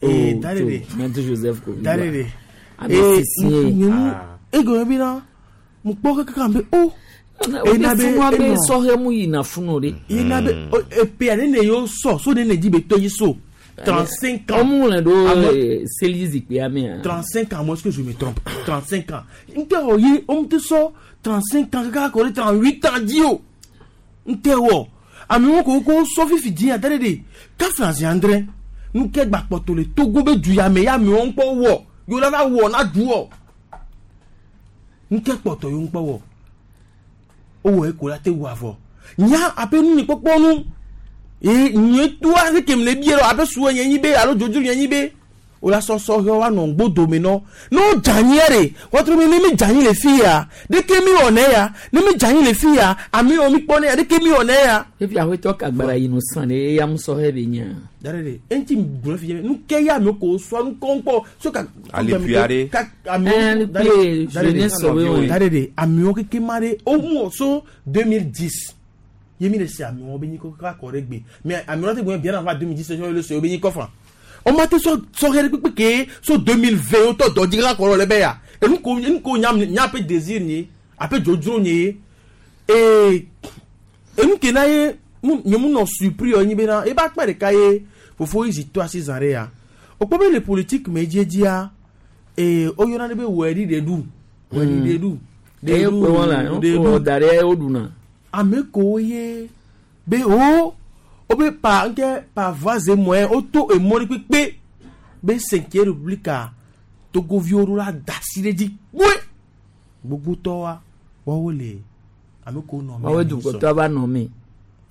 Ee da ɖe ɖe. Maître Joseph Kofi Da ɖe ɖe. Ame sisi ye. Nye mu egɔme bena mu kpɔ kaka be o. Ena be funu abe sɔhɛ mu yina funu ɖe. Yena be epea ne ne yewo sɔ so ne ne dzi be to yi so. 35 ans. Ɔmu le ɖo seli zikpuia mea. 35 ans, moi, est-ce que je me trompe 35 ans. Nte wɔ ye, on te sɔ 35 ans, kaka kɔ ɖe 38 ans dzi o. Nte wɔ. Amewo ko ko sɔ fifi dzi ya da ɖe ɖe. Kafla zi andre. Nu ke gba kpɔtɔ le Togo be du ya me ya amewo ŋkpɔ wɔ. Yo la va wɔ na du wɔ. Nu ke kpɔtɔ yo ŋkpɔ wɔ. Owɔ eko la te wɔ avɔ. Nya abe nu ni kpɔkpɔ nu. Ye nye toa se kem le bie lɔ abe suwe nye nyi be alo dzodzro nye nyi be. O la sɔsɔ hɛ wa nɔ ŋgbo dome nɔ. Ne wo dze anyi ya ɖe, wɔtrɔ mi ne mi dze anyi le fi ya, ɖeke mi wɔ ne ya, ne mi dze anyi le fi ya, ame yiwo mi kpɔ ne ya, ɖeke mi wɔ ne ya. Efi aƒetɔ kagbara yi no san ɖe eya mu sɔhɛ be nya. Da ɖe ɖe, eŋuti gblɔ fi nu ke ya ame ko sɔ nu kɔnkɔ so ka. Alipui aɖe. Ka amewo. Alipui jeunesse sɔwoe wɔe. Da ɖe ɖe, amewo keke ma ɖe, wo mu so 2010. Ye mi le se amewo be nyikɔ kaka kɔ ɖe gbe. Mais amewo te gblɔ bien avant 2010 sɔ le se wo be nyikɔ fa. O ma te sɔ sɔhɛ ɖe kpekpe ke so 2020 wotɔ dɔ dzi kaka kɔ ɖe le be ya. Enu ko enu ko nya nya aƒe désir nye, aƒe dzodzro nye. Ee enu ke na ye mu nye mu nɔ surpris yɔ nyi bena eba akpa ɖeka ye fofo yi zi to asi zã ɖe ya. O kpɔ be le politique me edzedzia ee woyɔna ɖe be wɔ ɖi ɖe ɖu. Wɔ ɖi ɖe ɖu. Ɖe Eye ɖu, kpe wɔn la, ɖe wɔ ɖu. da ɖe woɖuna. Ame kewo ye be wo wobe pa nke pa voix et moyen woto emɔ ɖe kpekpe be cinquième république a Togoviwo ɖo la da asi ɖe dzi kpoe gbogbotɔwoa woawo le ame kewo nɔ Woawoe dukɔtɔa va nɔ me.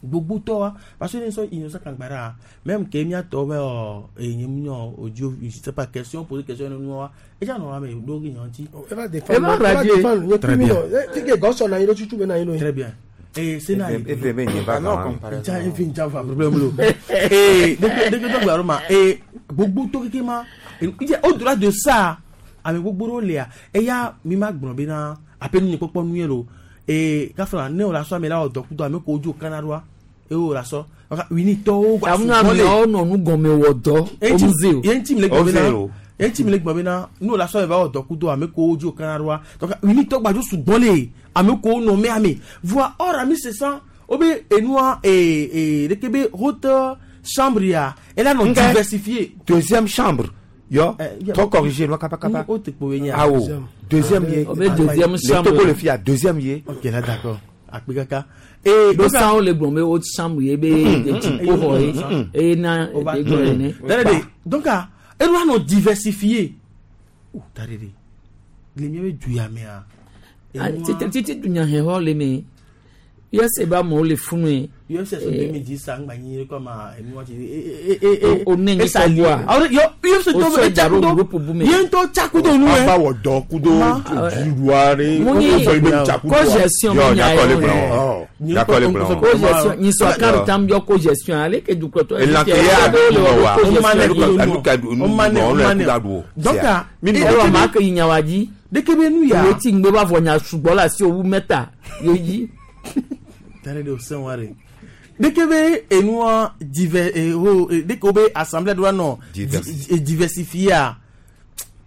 Gbogbotɔwoa parce que ne sɔ Innocent Kagbara même ke miatɔ be ɔ enye mu nyɔ odio je sais pas question poser question ne nua edza nɔ ame ɖo ke nyɔ ŋuti. Eva défendre, eva défendre, nye kpi mi nɔ, eh, ti ke gɔsɔ na anyi ɖo tutu be na anyi ɖo. Très bien. Eh, c'est na. Eve be nye va gã. Nja efe nja va problème lo. Eh, deke deke dɔ gba ma. Eh, gbogbo to keke ma. Ije au-delà de ça, ame gbogbo ɖewo lia. Eya mi ma gblɔ bena aƒe nu nye kpɔkpɔ nu ye lo. Eh, kafla ne o la sɔ ame la wɔ dɔ kudo ame ko dzo kana ɖoa. Eye o la sɔ. Winitɔwo gba Tamu amewo nɔ nu gɔme wɔ dɔ. Omuze o. Ye ŋuti mi le gblɔ bena ye ŋuti mi le gblɔ bena ne o la sɔ eva wɔ dɔ kudo ame ko dzo kana ɖoa. Donc winitɔ gba dzo sugbɔ le ame ko nɔ mea me. Voa or ami se san o be enua ee ee ɖeke be haute chambre ya elle nɔ diversifié. Deuxième chambre. Yo, trop corrigé, lo kapa kapa. O te kpo nya. Ah oh. Deuxième ye. O be deuxième chambre. Le Togo le fia deuxième ye. Ok, là d'accord. Akpe kaka. Et do san wo le gblɔ be haute chambre ye be dziƒoxɔ ye. Eye na e gblɔ ene. Dade donc ah enua nɔ diversifié. Oh dade de. Le mia be du ya mea. Titi titi dunyahɛxɔ le me. USA ba amewo le funu ye. USA so 2010 sa ŋgba nyi kɔ ma enu ti O ne nyi kɔ bua. Awɔ yɔ USA O tɔ sɔ bɛ da ɖo tsakudo groupe bu me. ye ŋutɔ tsakudo nu yɛ. Ava wɔ dɔ kudo dziɖua ɖe. Mu nyi co-gestion Yo, me nya nyakɔ le ye. gblɔ. Nyakɔ le gblɔ. Co-gestion nyisɔ akaru tam yɔ co-gestion ale ke dukɔtɔ. Elan ke ya ɖu wa. Donc Ɛwɔ maa ke yi nyawa dzi. Deke be nu ya. Wo ti ŋgbe va vɔ nya sugbɔ le asi owu mɛta ye dzi. Tare de o sɛn wa de. Deke be enua diver eh, oh, eh, deke wo be assemblée doa nɔ diversifié a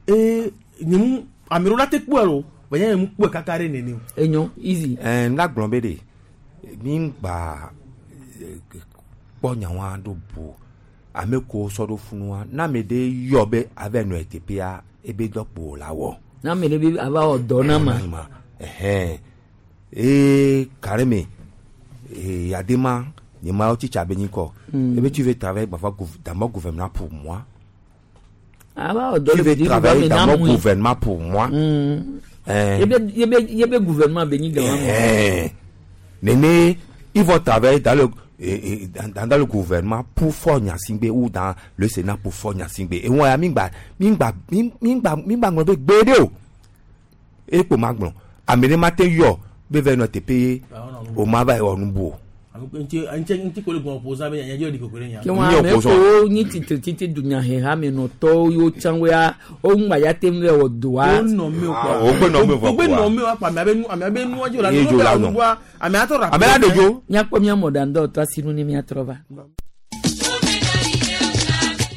ee nyemu ame ɖewo la te kpɔe o vɔ nye nyemu kpɔe kaka ɖe nene o. Enyo easy. Ɛɛ n la gblɔ be de mi gba kpɔ nyawa ɖo bu ame ko sɔ ɖo funua na ame ɖe yɔ be ave nɔ eteƒea ebe dɔ kpo la wɔ. Na ame ɖe be ava wɔ dɔ na ma. Ɛhɛn ee kareme ee yadema Nye ma wo tsitsa be nyikɔ. Ebe tu veux travailler parfois dans mon gouvernement pour moi. Ah, bah, Tu veux travailler dans mon gouvernement pour moi. Hein. Yebe gouvernement be nyi gan Eh, Néné, ils vont travailler dans le, et dans le gouvernement pour Faure Gnassingbé ou dans le Sénat pour Faure Gnassingbé. Et moi, mingba, mingba, mingba, mingba, ngbe gbede o. Et pour magbon. Amene matin yo, be no te payer o ma ba o nubu. Ntí kò lè gbọ́n opposant bẹ́ẹ̀ yẹn jẹ́ òdì kòkòrò yẹn. Kí wọn ame ko nyi titi titi dunyaheha me nɔtɔwo yiwo tsã woa wo ŋgba ya te ŋu wɔ doa. O nɔ mi o Ah, o gbe nɔ mi o o gbe nɔ mi o akpa ame abe nu ame abe nu ɔdzi o la Ye dzo la nɔ. nu ame atɔ ra. Ame la de dzo. Míakpɔ mía mɔɖaŋudɔwɔtɔ asinu ne míatrɔ va.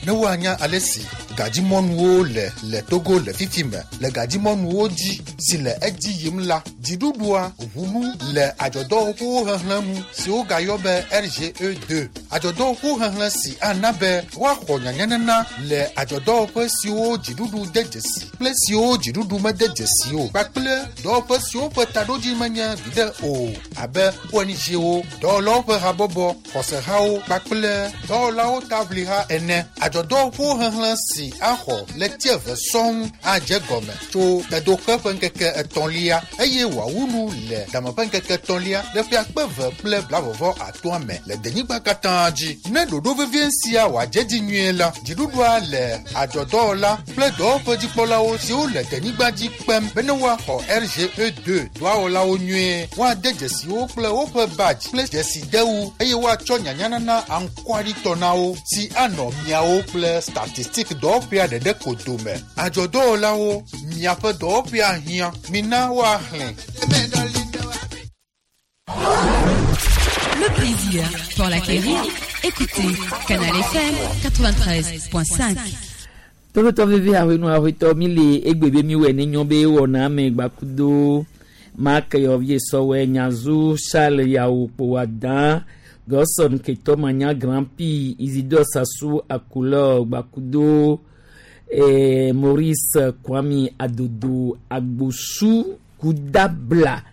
Ne woanya ale si gadzimɔnuwo le le Togo le fifi me le gadzimɔnuwo dzi si le edzi yim la, dziɖuɖua ʋu nu le adzɔdɔwɔƒewo xexlẽ nu si wogayɔ be RGE2. Adzɔdɔwɔƒewo xexlẽ si ana be woaxɔ nyanyanana le adzɔdɔwɔƒe siwo dziɖuɖu de dzesi kple siwo dziɖuɖu mede dzesi o kpakple dɔwɔƒe siwo ƒe taɖodzi menye viɖe o abe ONG-wo, dɔwɔlawo ƒe habɔbɔ, xɔsehawo kpakple dɔwɔlawo taʋliha ene. Adzɔdɔwɔƒewo xexlẽ si axɔ ɣleti eve sɔŋ adze gɔme tso tedoxe ƒe ŋkeke etɔ̃lia eye wòawu nu le dame ƒe ŋkeke etɔ̃lia le ƒe akpe eve kple blavɔvɔ atɔ̃a me le denyigba katã dzi. Ne ɖoɖo vevie sia wòadze dzi nyuie la, dziɖuɖua le adzɔdɔwɔla kple dɔwɔƒedzikpɔlawo siwo le denyigba dzi kpem bene woaxɔ RGE2 dɔwɔlawo nyuie, woade dzesiwo kple woƒe badge kple dzesidewu eye woatsɔ nyanyanana aŋkɔaɖitɔ na wo si anɔ miawo kple statistik dɔwɔƒea ɖeɖe ko dome. Adzɔdɔwɔlawo, miaƒe dɔwɔƒea hiã, mina woaxlẽ. Le plaisir pour l'acquérir, écoutez Canal FM 93.5. Tolotɔ veve ahɔenu ahɔetɔ mi le egbe be mi wɔ ne nyɔ be wɔna ame gbakudo Mark Yɔvie Sɔwɛ Nyazu Charles Yawo Kpowadan Gɔsɔn Ketɔ Manya Grand Prix Isidore Sassou Akulɔ gbakudo Maurice Kwami Adodo Agbosu Kudabla.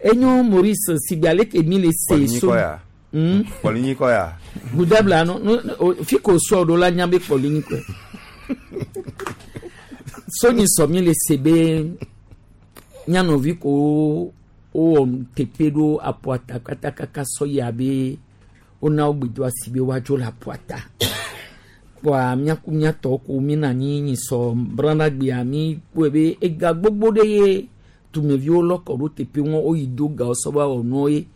Enyo Maurice sigbe ale ke mi le se so. Kpɔlinyi kɔ ya. Kpɔlinyi kɔ ya. Kudabla no no fi ko sɔ ɖo la nya be kpɔlinyi kɔe. Sonyi sɔ mi le se be nyanɔvi ko wowɔ teƒe ɖo aƒuata katakaka sɔ yia be wona wo gbedo asi be woadzo le aƒuata. Kpoa míaku míatɔwo ko mína anyi nyisɔ branagbea mi kpɔe be ega gbogbo ɖe ye dumeviwo lɔ kɔ ɖo teƒe ŋu woyi do gawo sɔ va wɔ nuwo ye.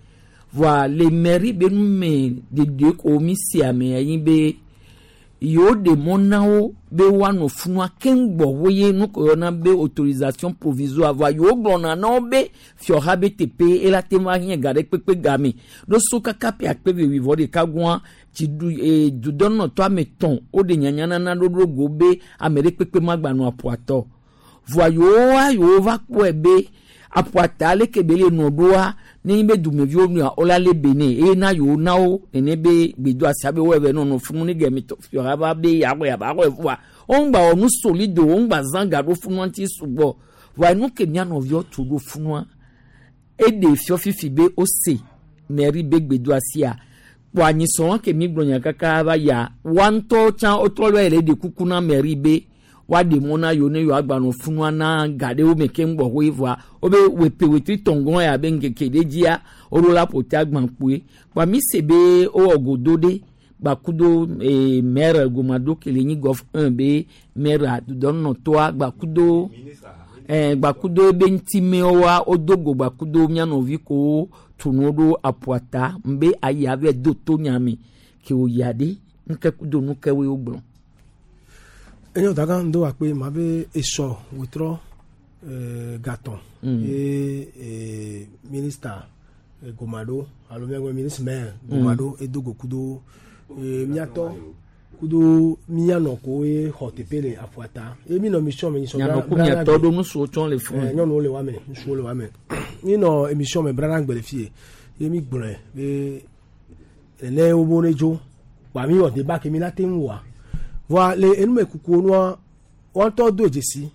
Voa le mairie be nume dede ko mi se ame anyi be yewo ɖe mɔ na wo be woanɔ funua keŋ gbɔ wo ye nu ko yɔna be autorisation provisoire voa yewo gblɔna na wo be fiɔha be teƒe ela te ŋu ahiã ga ɖe kpekpe game ɖo so kaka ƒe akpe ve wuivɔ ɖeka goa dziɖu ee dudɔnɔtɔ ame tɔn woɖe nyanyanana ɖoɖo go be ame ɖe kpekpe magbanɔ aƒuatɔ voa yewoa yewo va kpɔe be aƒuata leke be le nɔ ɖoa ne nyi be dumeviwo nɔa wola lé be nɛ eye na yewo na wo nene be gbedo asia be wɔe nɔnɔ funu ne gɛmɛ tɔ fiɔha va be yaxɔe aba xɔe fua wo ŋgba wɔ nu solide wo ŋgba zã ga ɖo funua ŋuti sugbɔ voa nu ke mía nɔviwo tu ɖo funua eɖe fiɔ fifi be wose mairie be gbedo asia kpɔ anyisɔn ke mi gblɔ nya kaka va ya wa ŋutɔ tsã wotrɔ lɔ yɛrɛ ɖe kuku na mairie be woaɖe mɔ na yewo ne yewoa gbanɔ funua na ga ɖewo me keŋ gbɔ hoe voa wobe wepe wetri tɔngɔn ya be ŋkeke ɖe dzia woɖo la ƒo te agbã kpoe kpoa mi se be wowɔ godo ɖe gbakudo maire gomado ke le nyi gɔf 1 be maire dudɔnɔtɔa gbakudo gbakudo be ŋutimewoa wodo go gbakudo mía nɔvi kowo tunu ɖo aƒuata ŋbe ayi ave do to nyame ke wòyia ɖe nuke kudo nukewoe wogblɔ. Enyo daga ŋdo akpe ma be esɔ wetrɔ gatɔn ye ministre Gomado alo miagbe ministre maire Gomado edo go kudo miatɔ kudo mianɔ ko ye xɔ teƒe le aƒuata ye mi nɔ mission me nyisɔ Mianɔ ku miatɔ ɖo nusuwo tsɔ le fún. Nyɔnuwo le wa me, ŋutsuwo le wa me. Mi nɔ émission me brana gbe le fie ye mi gblɔe be nene wo bo ne dzo wa mi wɔ débat ke mi la te ŋu wa voa le enumekukuwo nua wɔntɔ do dzesi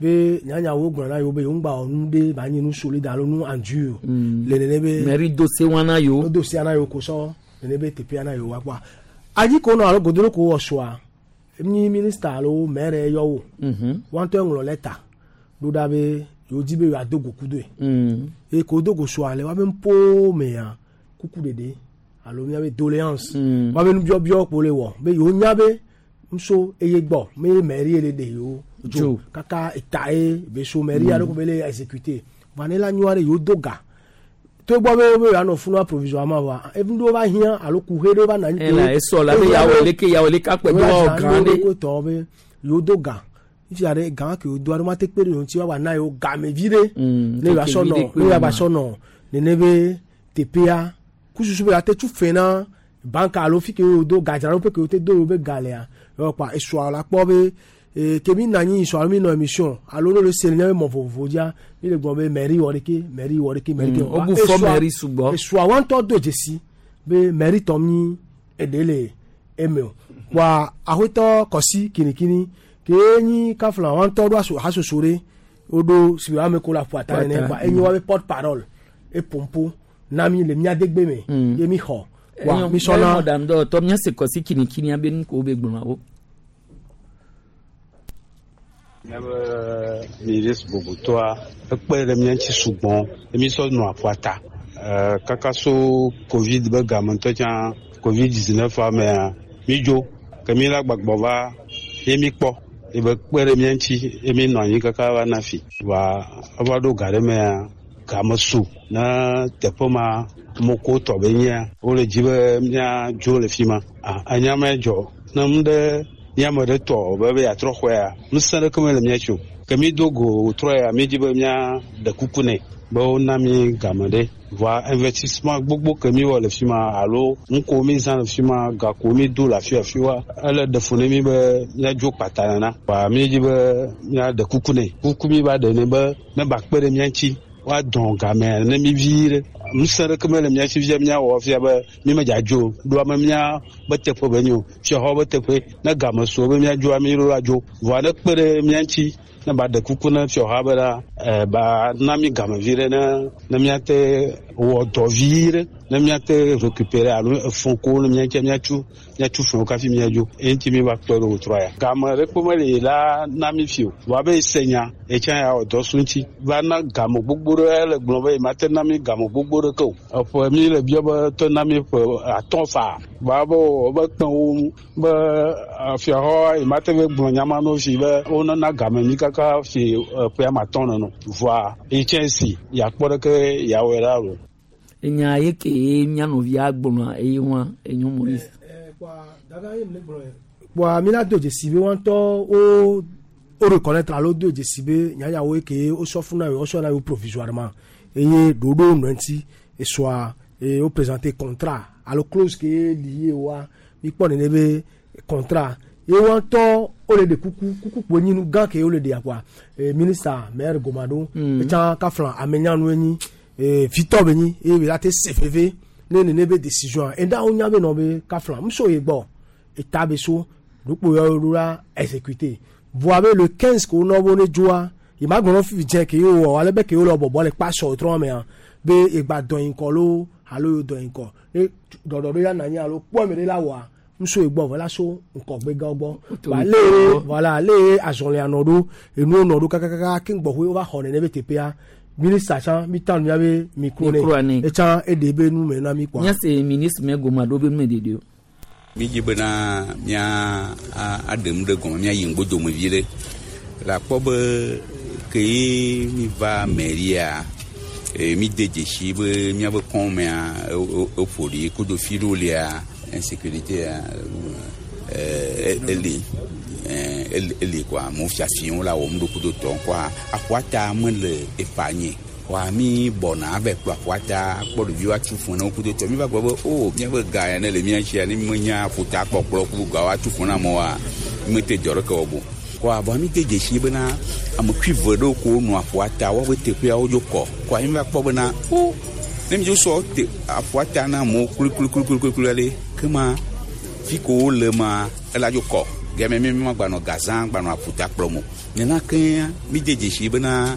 be nyanyawo gblɔ na yewo be yewo ŋgba wɔ nu ɖe ba nyi nu solide alo nu endure le nene be mairie do se wana yewo do se wana yewo ko sɔ nene be teƒea na yewoa kpɔa anyi ko nɔ alo godoro ko wɔ sua nyi minista alo maire yɔ wo wa ŋutɔ ŋlɔ lɛta ɖo ɖa be yewo di be yewoado go kudoe eye ko do go sua le woabe ŋpo mea kuku ɖeɖe alo miabe doléance woabe nubiɔbiɔ kpo le wɔ be yewo nya be nso eye gbɔ me mairie le ɖe yewo dzo Dzo. kaka eta ye be so mairie aɖe ko be le exécuté va ne la nyɔa ɖe yewo do ga togbɔ be be yewoanɔ funua provisoirement wa evi ɖewo va hiã alo kuxe ɖewo va nɔ anyi Ela esɔ la be yawo leke yawo leke akpɛ do wɔwɔ gã ɖe. ɖe tɔ be yewo do ga fifia ɖe gã ke yewo do aɖe ma te kpe ɖe yewo ŋuti woava na yewo gamevi ɖe ne yewoa sɔ keke nɔ vi ɖe kpe ne yewoa ma. sɔ nɔ nene be teƒea kususu be yeate tu fɛ na banka alo fi ke yewo do gadzraɖoƒe ke yewo te do yewo be ga lea yewoa kpa esɔa la kpɔ be ee ke mi na anyi sɔ alo mi nɔ émission alo ne le se le miabe mɔ vovovo dzia mi le gblɔ be mairie wɔ ɖeke mairie wɔ ɖeke mairie Mm, wobu fɔ mairie sugbɔ. esɔa wa ŋutɔ do dzesi be mairie tɔ mi eɖe le eme o wa axɔtɔ kɔsi kinikini ke nyi kafla wa ŋutɔ ɖo aso hasoso ɖe woɖo si ame ko le aƒu ata nene Ata, kpa enye wa be porte parole epompo na mi le mia degbe me ye mi xɔ wa mi sɔna mɔɖaŋu dɔwɔtɔ míase kɔsi kinikini abe nu ko be gblɔna wo. Míabe ministre bubutɔa ekpe ɖe mía ŋuti sugbɔ ye mísɔ nɔ aƒua ta. Eh, Kaka so covid be game ŋutɔ tsã covid 19 mea mídzo ke mí la gbagbɔ va ye míkpɔ ye be kpe ɖe mía ŋuti ye mí nɔ anyi kaka va na fi. Va eva ɖo ga ɖe mea game su ne teƒe ma moko tɔ be nyia wole dzi be míadzo le fi ma. Ah, enya ma dzɔ ne nu ɖe míame ɖe tɔ be be yeatrɔ xɔea ŋusẽ ɖeke mele mía si o ke mí do go trɔ ya mí dzi be míaɖe kuku nɛ be wona mí game ɖe vɔa investissement gbogbo ke mí wɔ le fi ma alo nu ko mí zã le fi ma ga ko mí do le afi afi wa ele ɖe fu ne mí be míadzo kpata nana vɔa mí dzi be míaɖe kuku nɛ kuku mí va ɖe nɛ be ne ba kpe ɖe mía ŋuti woadɔn gamea ne mí vi ɖe ŋusẽ ɖeke mele mía si fia míawɔ fia be mí medza dzo o. ɖo ame mía be teƒe be nyo fiaxɔ be teƒe ne game su be míadzoa mí ɖo adzo vɔa ne kpe ɖe mía ŋuti ne ba ɖe kuku ne fiaxɔa be la eh, ba na mí game vi ɖe ne ne míate wɔ dɔ vi ɖe ne míate récupérer alo efɔ ko ne mía ŋuti míatsu míatsu fɛnwo kafi míadzo eye ŋuti mí va kpe ɖo wòtrɔ ya game ɖe kpe mele la na mí fi o vɔa be ese nya etsã ya wɔ dɔ su ŋuti va na game gbogbo ɖe ele gblɔ be mate na mí game gbogbo ɖeke o eƒe mí le biɔ be tɔ na mí ƒe atɔ̃ faa vɔa be wò be kpẽ wo be fiaxɔ yi mate be gblɔ nya ma no fi be wonana game mí kaka fi ƒe ame atɔ̃ nɔnɔ vɔa yi tsɛ si yakpɔ ɖeke yeawɔe ɖa o. Enya ye ke mía nɔvia gblɔna eye wa enyo Maurice. kpɔa mi la do dzesi be wa ŋutɔ wo wo reconnaître alo do dzesi be nyanyawo ke wosɔ fún na yewo wosɔ na yewo provisoirement eye ɖoɖo nɔ ŋuti esɔa eye wo présenter contrat alo clause ke lié wa mi kpɔ nene be contrat ye wa ŋutɔ wole ɖe kuku kuku kpo nyi nu gã ke wole ɖea kɔa e ministre maire Gomado etsã kafla amenyanu enyi e vitɔ be nyi eye be la te se veve ne nene be décision eda wo nya be nɔ be kafla muso ye gbɔ eta be so ɖokpo yɔ ɖo la exécuté voa be le 15 ko nɔ bo ne dzoa yi ma gblɔ fifi dze ke ye wɔ ale be ke wo le bɔbɔ le kpa sɔ trɔ mea be egba dɔ yi ŋkɔ lo alo yo dɔ yi ŋkɔ ne ɖɔɖɔ ɖo ya na anyi alo kpɔ ame ɖe la wɔa muso ye gbɔ vɔ la so ŋkɔgbe gã gbɔ Autorité ale gbɔ. voilà ale azɔlia nɔ ɖo enuwo nɔ ɖo kakakaka ke ŋgbɔxoe wova xɔ nene be teƒea minista tsã mi tan mia be micro Micro ne ne. etsã eɖe be nu me na mi kɔa. Míase ministre mɛ Gomado be nu me ɖeɖe o. mídzi bena mía aɖe nu ɖe gɔme míayi ŋgbodome vi ɖe le akpɔ be ke ye míva mairia e, míde dzesi be míabe kɔmea eƒo ɖi kudo fi ɖewo lia insécurité eli eli kɔa amewo fiafiwo la wɔm ɖo kudo tɔ kɔa aƒua ta mele efa nye kɔa mi bɔna ava kplɔ aƒua ta kpɔ ɖeviwo atu fún ne wo kudo tɔ mi va gblɔ be o míaƒe ga ya ne le mía sia ne mi menya aƒuta kpɔkplɔ ku gawo atu fún na amewoa mi mete dzɔ ɖeke wɔ bo kɔa vɔa mi de dzesi bena ame kui ve ɖewo ko nɔ aƒua ta woaƒe teƒeawo dzo kɔ kɔa mi va kpɔ bena o ne mi dzo sɔ te aƒua ta na amewo kluikluikluikluikui ɖe kema fi ko wole ma ela dzo kɔ game mi ma gbanɔ gazã gbanɔ aƒuta kplɔm o nena kea mi de dzesi bena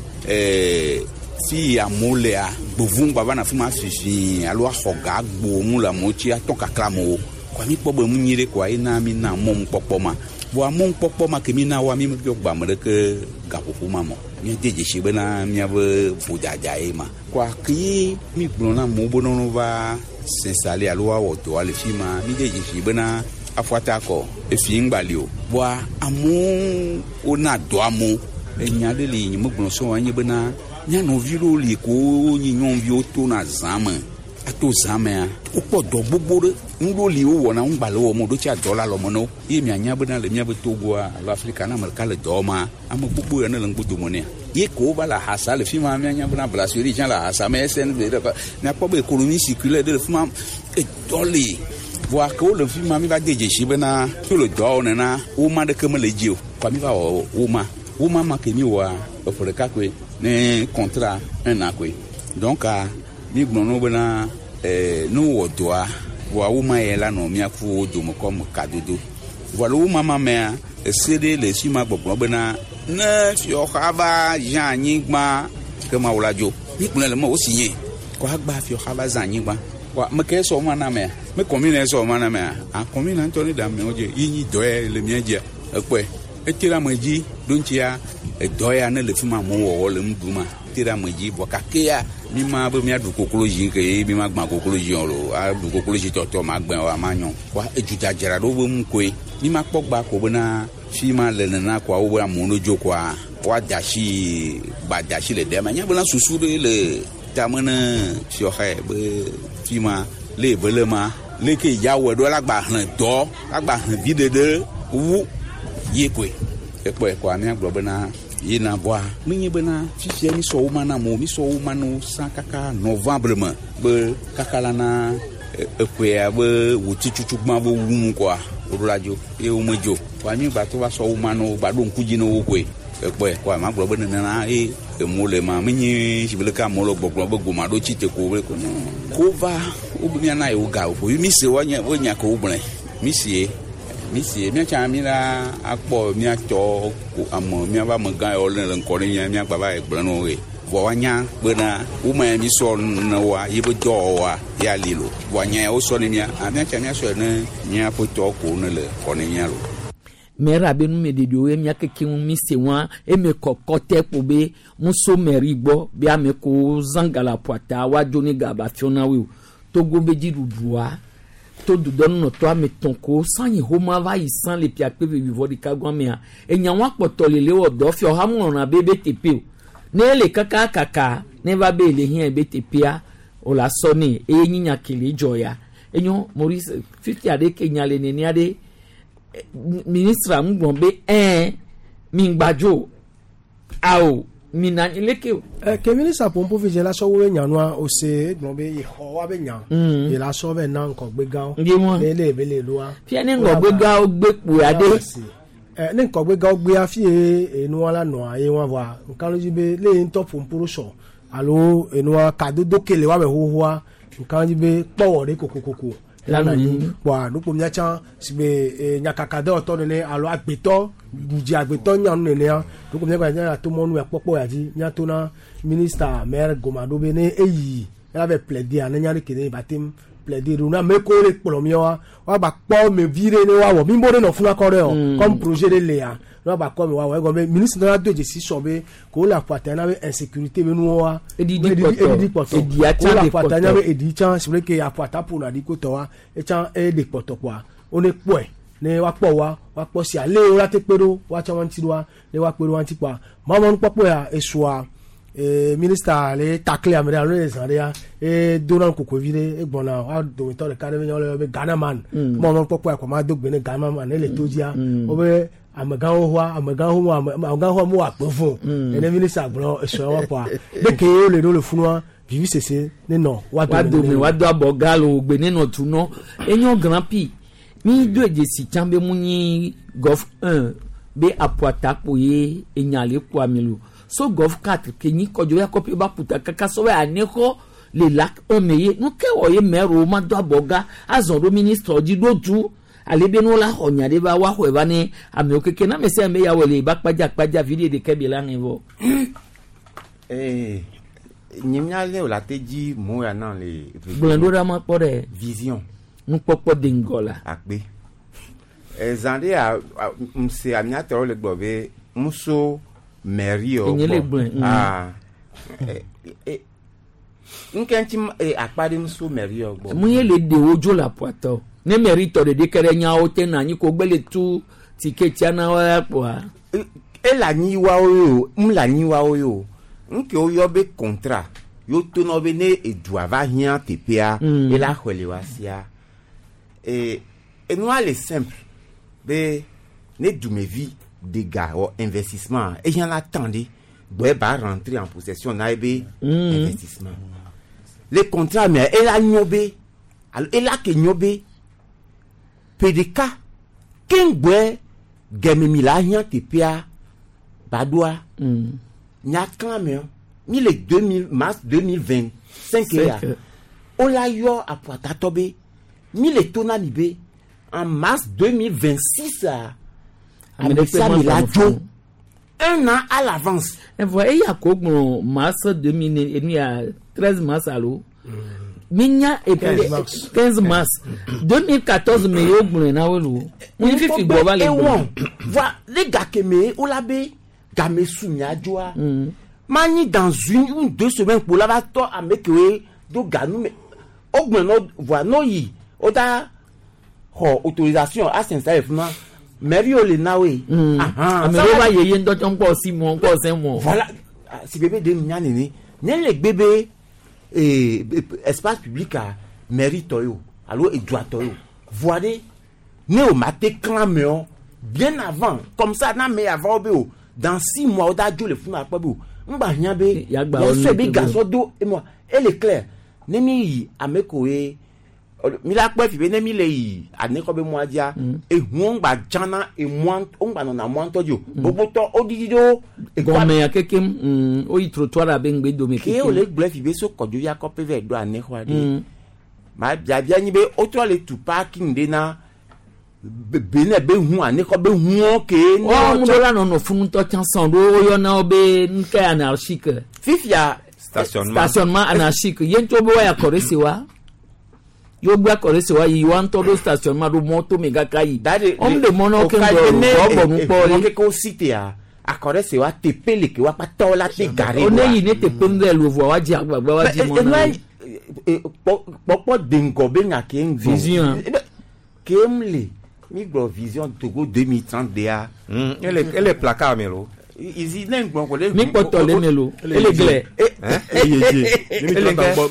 Fi amewo lea, gbevu ŋgba va na fi ma fifi alo axɔ ga gbo nu le amewo tsi atɔ kakla amewo. Kɔa mi kpɔ be nu nyui ɖe koa ena mi na mɔnukpɔkpɔ ma. Vɔa mɔnukpɔkpɔ ma ke mi na woa mi mebiɔ gbe ame ɖeke gaƒoƒo ma me o. Míede dzesi bena míaƒe vodada ye ma. Kɔa ke ye mi gblɔ na amewo be ne wova s'installer alo woawɔ dɔa le fi ma, mi de dzesi bena aƒuata kɔ efi ŋgba li o. Vɔa amewo wona dɔ amewo. Enya ɖe li nye megblɔ sɔ̃ enye bena mía nɔvi ɖewo li ko wonyi nyɔnuviwo tona zã me. Ato zã mea, wokpɔ dɔ gbogbo ɖe. Nu ɖewo li wowɔna ŋgba le wɔm o, ɖo tsia dɔ le alɔme na wo. Ye mianya bena le míaƒe Togoa alo Afrika ne ame ɖeka le dɔ wɔma, ame gbogbo ya ne le ŋgbo nea. Ye ko wova le ahasa le fi ma, míanya bena Brasserie tsã le ahasa me, SNV ɖe ƒe. Miakpɔ be économie circulaire ɖe le fi ma, edɔ li. Vɔa ke wole fi ma, mi va de dzesi bena wole dɔ wɔm nena, woma ɖeke mele edzi o. Kɔa mi va wɔ woma. Woma ma ke mi wɔa, eƒe ɖeka koe ne contrat un an koe. Donc mi gblɔ na wo bena ne wowɔ dɔa, vɔa woma ya la nɔ mía ku wo dome kɔme kadodo. Vɔa le woma ma mea, ese ɖe le fi ma gbɔgblɔ bena ne fiɔxa va zã anyigba ke ma wo la dzo. Mi gblɔe le me wo si nye. Kɔ agba fiɔxa va zã anyigba. Kɔa me ke sɔ woma na mea, me commune sɔ woma na mea, a commune ŋutɔ ne ɖe amewo dzi ye nyi dɔ ya le mía dzia. Ekpɔe. Ete ɖe ame dzi ɖo ŋutia edɔ ya ne le fi ma amewo wɔwɔ le nu ɖum ma te ɖe ame dzi vɔ kakea mi ma be míaɖu koklozi ke ye mi ma gbã koklozi o lo aɖu koklozi tɔtɔ ma gbẽ o ma nyɔ. Kɔa edudzadzra ɖo be nu koe. Mi ma kpɔ gba ko bena fi ma le nena koa wo be amewo no dzo koa woada asi gbada asi le ɖe ma. Nya bena susu ɖe le tame ne fiɔxa be fi ma le eve le ma leke ya wɔe ɖo la gba hlẽ dɔ la gba hlẽ vi ɖeɖe wu ye koe. Ekpɔe koa míagblɔ bena yina vɔa menye bena fifia mi sɔ wo ma na amewo, mi sɔ wo ma na wo sã kaka novembre me be kaka la na eƒea be wòti tutugbã be wu nu koa woɖo la dzo ye womedzo. Kɔa mi gba to va sɔ wo ma na wo gba ɖo ŋku dzi na wo koe. Ekpɔe koa magblɔ be nenena ye amewo le ma menye si be leke amewo le gbɔgblɔ be goma ɖo tsi te ko be ko no. Ko va wo be miana yewo ga o. Mi se woanye wonya ke wogblɔe. Mi sie mi sie míatsa mi la akpɔ míatɔ ko ame míava amegã yawo le ŋkɔ ne mía míagba va yi gblɔ na wo ye. Vɔ woanya bena woma ya mi sɔ ne woa ye be dɔwɔwɔa ya li lo. Vɔ anya ya wosɔ ne mía, a míatsa míasɔe ne míaƒe tɔ ko ne le kɔ ne mía lo. Mɛra be numeɖeɖewo ye mía keke ŋu mi se wa eme kɔkɔ tɛ kpo be ŋuso mɛri gbɔ be ame ko zã galaƒoata woadzo ne gaba fiɔ na woe o. Togo be dziɖuɖua to dudɔnunɔtɔ ame tɔn ko sanyi xoma va yi san le piakpe vevivɔ ɖeka gɔmea enya wa kpɔtɔ le le wɔ dɔ fiɔ ha ŋlɔna be be teƒe o ne ele kaka kaka ne va be le hiã be teƒea o la sɔ ne eye nyi nya ke le dzɔ ya enyo Maurice fifia ɖe ke nya le nenea ɖe ministre ŋu gblɔ be ɛɛ mi ŋgbadzo awo mi na anyi leke o. Ke ministre pompo fi dze la sɔ wo nyanua o se gblɔ be yexɔ wa be nya. Ye la sɔ be na ŋkɔgbe gãwo. Ye mɔ. Ne le be le loa. Fia ne ŋgɔgbe gãwo gbe kpoa ɖe. Ne ŋkɔgbe gãwo gbea fi ye enua la nɔa ye wa vɔa nka dzi be le ye ŋutɔ pompo ɖo sɔ alo enua kadodo ke le wa be xoxoa nka dzi be kpɔwɔ ɖe kokokoko. Lana nyi. Kpɔa nukpo míatsã si be nyakaka dɔwɔtɔ nene alo agbetɔ dzi agbetɔ nyanu nenea nukpo míagba nya to mɔnu ya kpɔkpɔ ya dzi míato na minista maire goma ɖo be ne eyi ela va plaider ne nya ɖe ke ne ba tem plaider ɖo na ame ko le kplɔ míawoa woagba kpɔ me vi ɖe ne woawɔ mi bo ɖe nɔ funa kɔ ɖe o comme projet ɖe lea ne woagba kɔ me woawɔ egɔme be ministre la do dzesi sɔ be ko wole aƒu na be insécurité be nuwoa Eɖiɖi kpɔtɔ. eɖiɖi kpɔtɔ Eɖia ko tsã wole ɖe aƒu kpɔtɔ. na be eɖi tsã si be ke aƒu ata ƒona ɖi ko tɔ wa etsã eɖe kpɔtɔ kpoa wone kpɔe ne woakpɔ wa woakpɔ si ale wo la te kpe ɖo woatsã wa ŋuti ɖoa ne woakpe ɖo wa ŋuti kpoa mawɔ nukpɔkpɔ ya esua minista le takle ame ɖe alo le zã ɖea e dona kokovi ɖe egbɔna wa dometɔ ɖeka ɖe be nya be Ghana man mawɔ nukpɔkpɔ ya kɔ ma do gbe ne Ghana man ele to dzia wobe amegãwo hoa amegãwo ho amegãwo hoa mo akpe fo ene minista gblɔ esua wa kpoa ɖeke ye wole ɖo le funua vivi sese ne nɔ wa wa dome wa do abɔ galo gbe ne nɔ tu nɔ enyo grand prix mi do dzesi tsã be mu nyi golf 1 be aƒuata kpo ye enya le kpo ami lo so golf 4 ke nyi kɔdzo ya kɔpi ba ƒuta kaka sɔ be anexɔ le lac 1 me ye nu ke wɔ ye mɛro ma do abɔ ga azɔ ɖo ministre dzi ɖo du ale be no la xɔ nya ɖe va woaxɔe va ne amewo keke na ame sia ame ya wɔ le ba kpadza kpadza vi ɖe ɖeke bi la ŋe vɔ. Ee, Nye mía lé o la te dzi mo ya na le. Gblɔe ɖo ɖa ma kpɔ ɖe. Vision. Nukpɔkpɔ de ŋgɔ la. Akpe. Ezã ɖe ya ŋse amiatɔwo le gblɔ be ŋuso mairie wo Enye le gblɔe. Ah. Nke ŋuti akpa ɖe ŋuso mairie wo gbɔ. Mu ye le ɖe wo dzo le aƒuatɔ. Ne mairie tɔ ɖeɖe ke ɖe nyawo te na anyi ko gbe le tu tiketia na wo ya kpoa. Ele anyi wawo ye o, mu le anyi wawo ye o. Nke woyɔ be contrat yo tonɔ be ne edua va hiã teƒea, ela xɔe le wa sia. Enua le simple be ne dumevi de ga wɔ investissement ehiã la temps ɖe gbɔe ba rentrer en possession na ye be investissement. Le contrat mea ela nyɔ be alo ela ke nyɔ be ƒe ɖeka keŋgbɔe gɛmemi la hiã teƒea ba ɖoa nya klã mea mi le 2000 mars 2025 ya Cinq. wola yɔ aƒuatatɔ be mi le to na mi be en mars 2026 a Ame ɖe kpe ame sia ame la ma dzo un an à l'avance. Evɔ eya ko gblɔ mars 2000 enu ya 13 mars alo. Mi nya 15 mars. 15 mars 2014 me yewo gblɔe na wo lo. Mu fifi gbɔ va le gblɔ. Voa le gake me wola be game su mia dzoa manyi dans une ou deux semaines kpo la va tɔ ame kewoe do ganu me wogblɔ nɔ voa n'o yi wo da xɔ autorisation a s'installer fi ma mairie wo le na woe. Ahan, Ame ça ɖewo va- va yeye ŋutɔ tsɔ ŋkɔ si mɔ ŋkɔ sɛ mɔ. Voilà, si bebe de nya nene ne le gbe be espace public a mairie tɔ ye o alo edua tɔ ye o voa ɖe ne o ma te klã me o bien avant comme ça na me avant be o dans 6 mois o da dzo le funu akpɔ be o ŋgba hiã be Yagba wo yasɔ be nu- gasɔ do emɔ ele clair ne mi yi ame ko ye mi la kpɔ fi be ne mi le yi anekɔ be mɔa dzia ehuwo ŋgba dzana emɔa wo ŋgba nɔna mɔa ŋutɔ dzi o gbogbotɔ wo ɖiɖi ɖo Gɔmɛ ya kekem woyi trottoir abe ŋgbe dome ke wo le gblɔ fi be so kɔdzovi akɔƒe vɛ ɖo anexɔa ɖe Mm. ma biabia nyi be wotrɔ le tu parking ɖe na be ne be hu anexɔ be huwo ke ne Wɔn wotsɔ- ɖo la nɔnɔ funu ŋutɔ tsã sɔn ɖo woyɔna wo be nuke anarchique. Fifia. Stationnement. Stationnement anarchique ye ŋutɔ be woya kɔ ɖe se wa. Yewo gbe akɔ ɖe se wa yi wa ŋutɔ ɖo stationnement ɖo mɔto me kaka yi. Wɔn ɖe mɔ na wo keŋ gbɔ o bɔ nu kpɔ ye. ye. keke wo si tea akɔ ɖe se wa teƒe le ke wa kpata la te gare O ne yi ne teƒe nu ɖe lo vɔa wa dzi agbagba wa dzi mɔ na wo. Kpɔkpɔ de ŋgɔ be nya ke ŋgɔ. Vision. Ke m le mi gblɔ vision Togo 2030 dea. Ele placard me lo. Izi ne ŋgblɔ ko le. Mi kpɔtɔ le me lo. Ele glɛ. Ele ye die.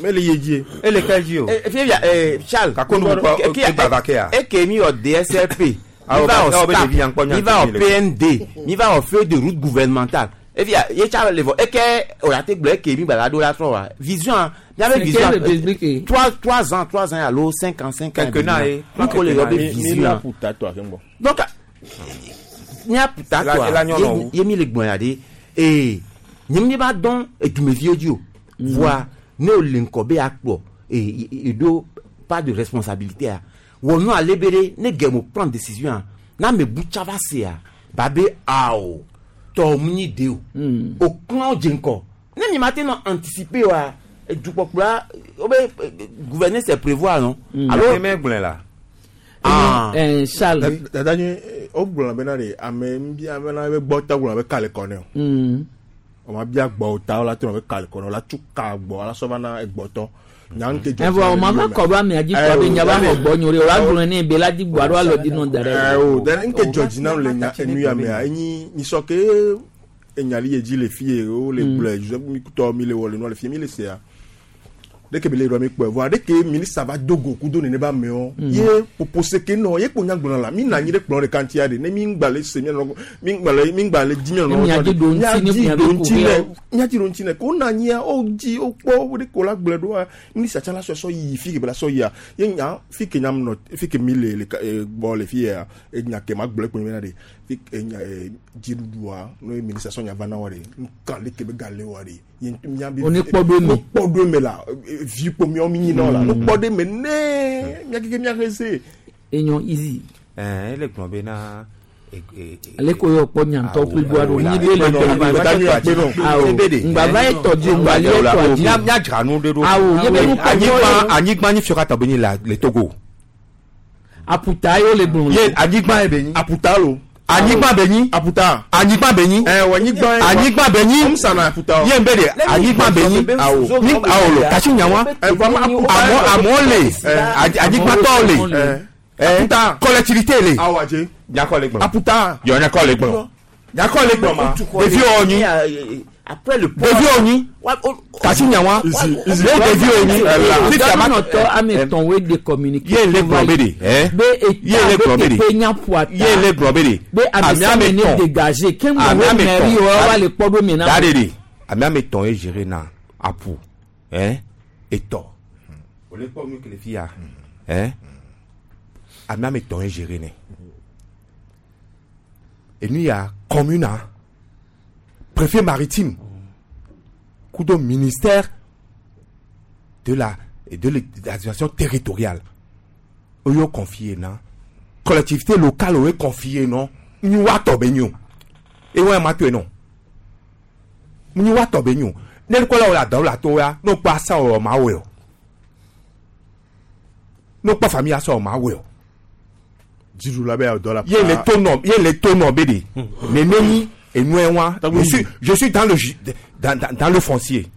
Ele ye die. Ele ke dzi o. Fia Charles. Kakonu kpɔ egba va ke ya. Eke mi wɔ DSLP. Ah, Mi va ah, wɔ be ɖevi ya ŋkpɔ STAP. nya Mi va wɔ le. PND. Mi va wɔ feuille de route gouvernementale. Efia ye tsa le vɔ eke o la te gblɔ eke mi gba la ɖo la trɔ wa. Vision a miabe C'est vision. quelle république? 3 ans 3 ans alo 5 ans 5 ans. Quinquennat ye. Nko le yɔ be Mi la vision. puta tɔ ake ŋgbɔ. Donc miaputa Ela- ela nyɔnɔ tɔa wu. ye mi le gbɔn ya de ee nye mi ba dɔn edumeviwo dzi o voa ne o le ŋkɔ be akpɔ ee eɖo pas de responsabilité a wɔ nu ale be ɖe ne gɛmo prendre décision a na ame bu tsa va sea ba be awo tɔ mu nyi de o o klɔ dze ŋkɔ ne mi ma te nɔ anticiper wa edukpɔkplɔa wo be gouverner c'est prévoir non. Alo me gblɔe la. Ah. Charles. Dada nyi o gblɔ bena de ame bia bena be gbɔ ta gblɔ be kale kɔ ne o. O ma bia gbɔ ta la tɔ be kale kɔ ne o la tu ka gbɔ ala sɔ va na egbɔtɔ. Nya ŋke dzɔ. Evɔ o ma va kɔ ɖo amea dzi kpɔ be nya va xɔ gbɔ nyo ɖe o la gblɔe ne be la di gbɔ alo alɔ di nɔ da ɖe. O dɛ ŋke dzɔ dzi nam le nya enu ya mea enyi nyisɔ ke enyali ye dzi le fie o le gblɔe Joseph mi tɔ mi le wɔ le nua le fie mi le sea. Ɖeke mi le ɖɔ mi kpɔe vɔa ɖeke minista va do go kudo nene ba amewo ye popose ke nɔ ye kpo nya gblɔna la mi na anyi ɖe kplɔ ɖeka ŋutia ɖe ne mi ŋgba le se mia nɔ mi ŋgba le mi ŋgba le dzi mia nɔ Miadzi ɖo ŋuti ne miadzi ɖo ŋuti miabe nɛ kuxi miadzi ɖo ŋuti nɛ ko na anyia wo dzi wo kpɔ wo ɖe ko la gblɔe ɖoa minista tsa la sɔ sɔ yi fi ke be la sɔ yia ye nya fi ke nya nɔ fi ke mi le le ka gbɔ le fi ya enya ke ma gblɔe kpo mi na ɖe fi ke enya dziɖuɖua no ye minista sɔ nya va na wa ɖe nka le ke be ga le wa ɖe ye mia be Wo ne kpɔ ɖo eme. wo kpɔ ɖo eme la vi kpo miawo mi nyi na wo la no kpɔ ɖe eme ne mia keke mia xe se. Enyo easy. Ɛn ele gblɔ bena Ale ko yɔ kpɔ nyantɔ kple bu aɖo nyi be le awo ŋgbava ye tɔ dzi ŋgba li tɔ dzi. Míadzra nu ɖe ɖo. Awo ye be nu kpɔ anyigba anyigba nyi fiɔ katã be nyi la le Togo. Aputa ye le gblɔ. Ye anyigba ye be nyi. Aputa lo. Anyigba be nyi. Aputa. Anyigba be nyi. Ɛ wɔ anyigba ye. Anyigba be nyi. Comme ça na aputa. Ye be de anyigba be nyi. Awo. Ni awo lo kasi nyawa. Amɔ amɔ le. Anyigba tɔ le. Aputa. Collectivité le. Awo adze. Nyakɔ le gblɔ. Aputa. Yɔ nyakɔ le gblɔ. Nyakɔ le gblɔ ma. Ɖeviwo nyi. Après le port. Ɖeviwo nyi. Kasi nyawa. Ne ɖeviwo nyi. Fifia ma nɔtɔ ame etɔ̃ woe de communiqué. Ye le gblɔ be de. Be Ye le gblɔ be de. eta be nya ƒoa ta. Ye le gblɔ be de. Be ame sia ame ne dégagé. Ke ŋgɔ wo mairie wa wa le kpɔ ɖo me na. Da de de. Ame ame etɔ̃ ye géré na apu. Etɔ. O le kpɔ nu ke le fi ya. Ame ame etɔ̃ ye géré nɛ. Enu ya commune a préfet maritime kudo ministère de la de l'administration territoriale oyo confié na collectivité locale oyo confié non nyi wa tɔ be nyi o ewa ma to non nyi wa tɔ be nyi o ne kɔ la o la dɔw la to ya n'o kpɔ asa o ma wɛ o n'o kpɔ famille asa o ma wɛ o. Dziɖula be dɔ la. Ye le to nɔ ye le to nɔ be de nene nyi enu wa je suis dans le dans, dans, dans le foncier.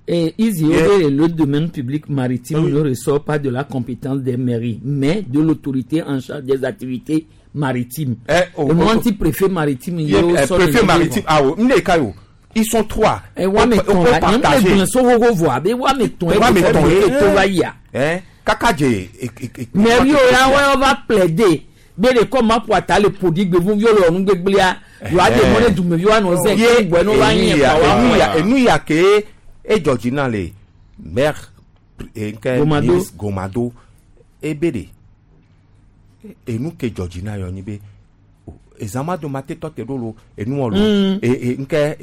Et ils yeah. Le domaine public maritime ne ressort pas de la compétence des mairies, mais de l'autorité en charge des activités maritimes. Le anti-préfet maritime, il yeah, préfet maritime, ah oui, ils sont trois. Et on peut partager. Mairie, on va plaider. Bele kɔma ƒo ata le ƒoɖi gbevu viwo le ɔnu gbegblẽa yewoa de mɔ ne dumeviwo anɔ zɛ ke gbɔe ne woava nye kpa wa ŋu. Enu ya ke edzɔ dzi na le maire nke ministre Gomado ebe de enu ke dzɔ dzi na yɔ nyi be ezama do ma te tɔ te ɖo lo enuwɔ lo nke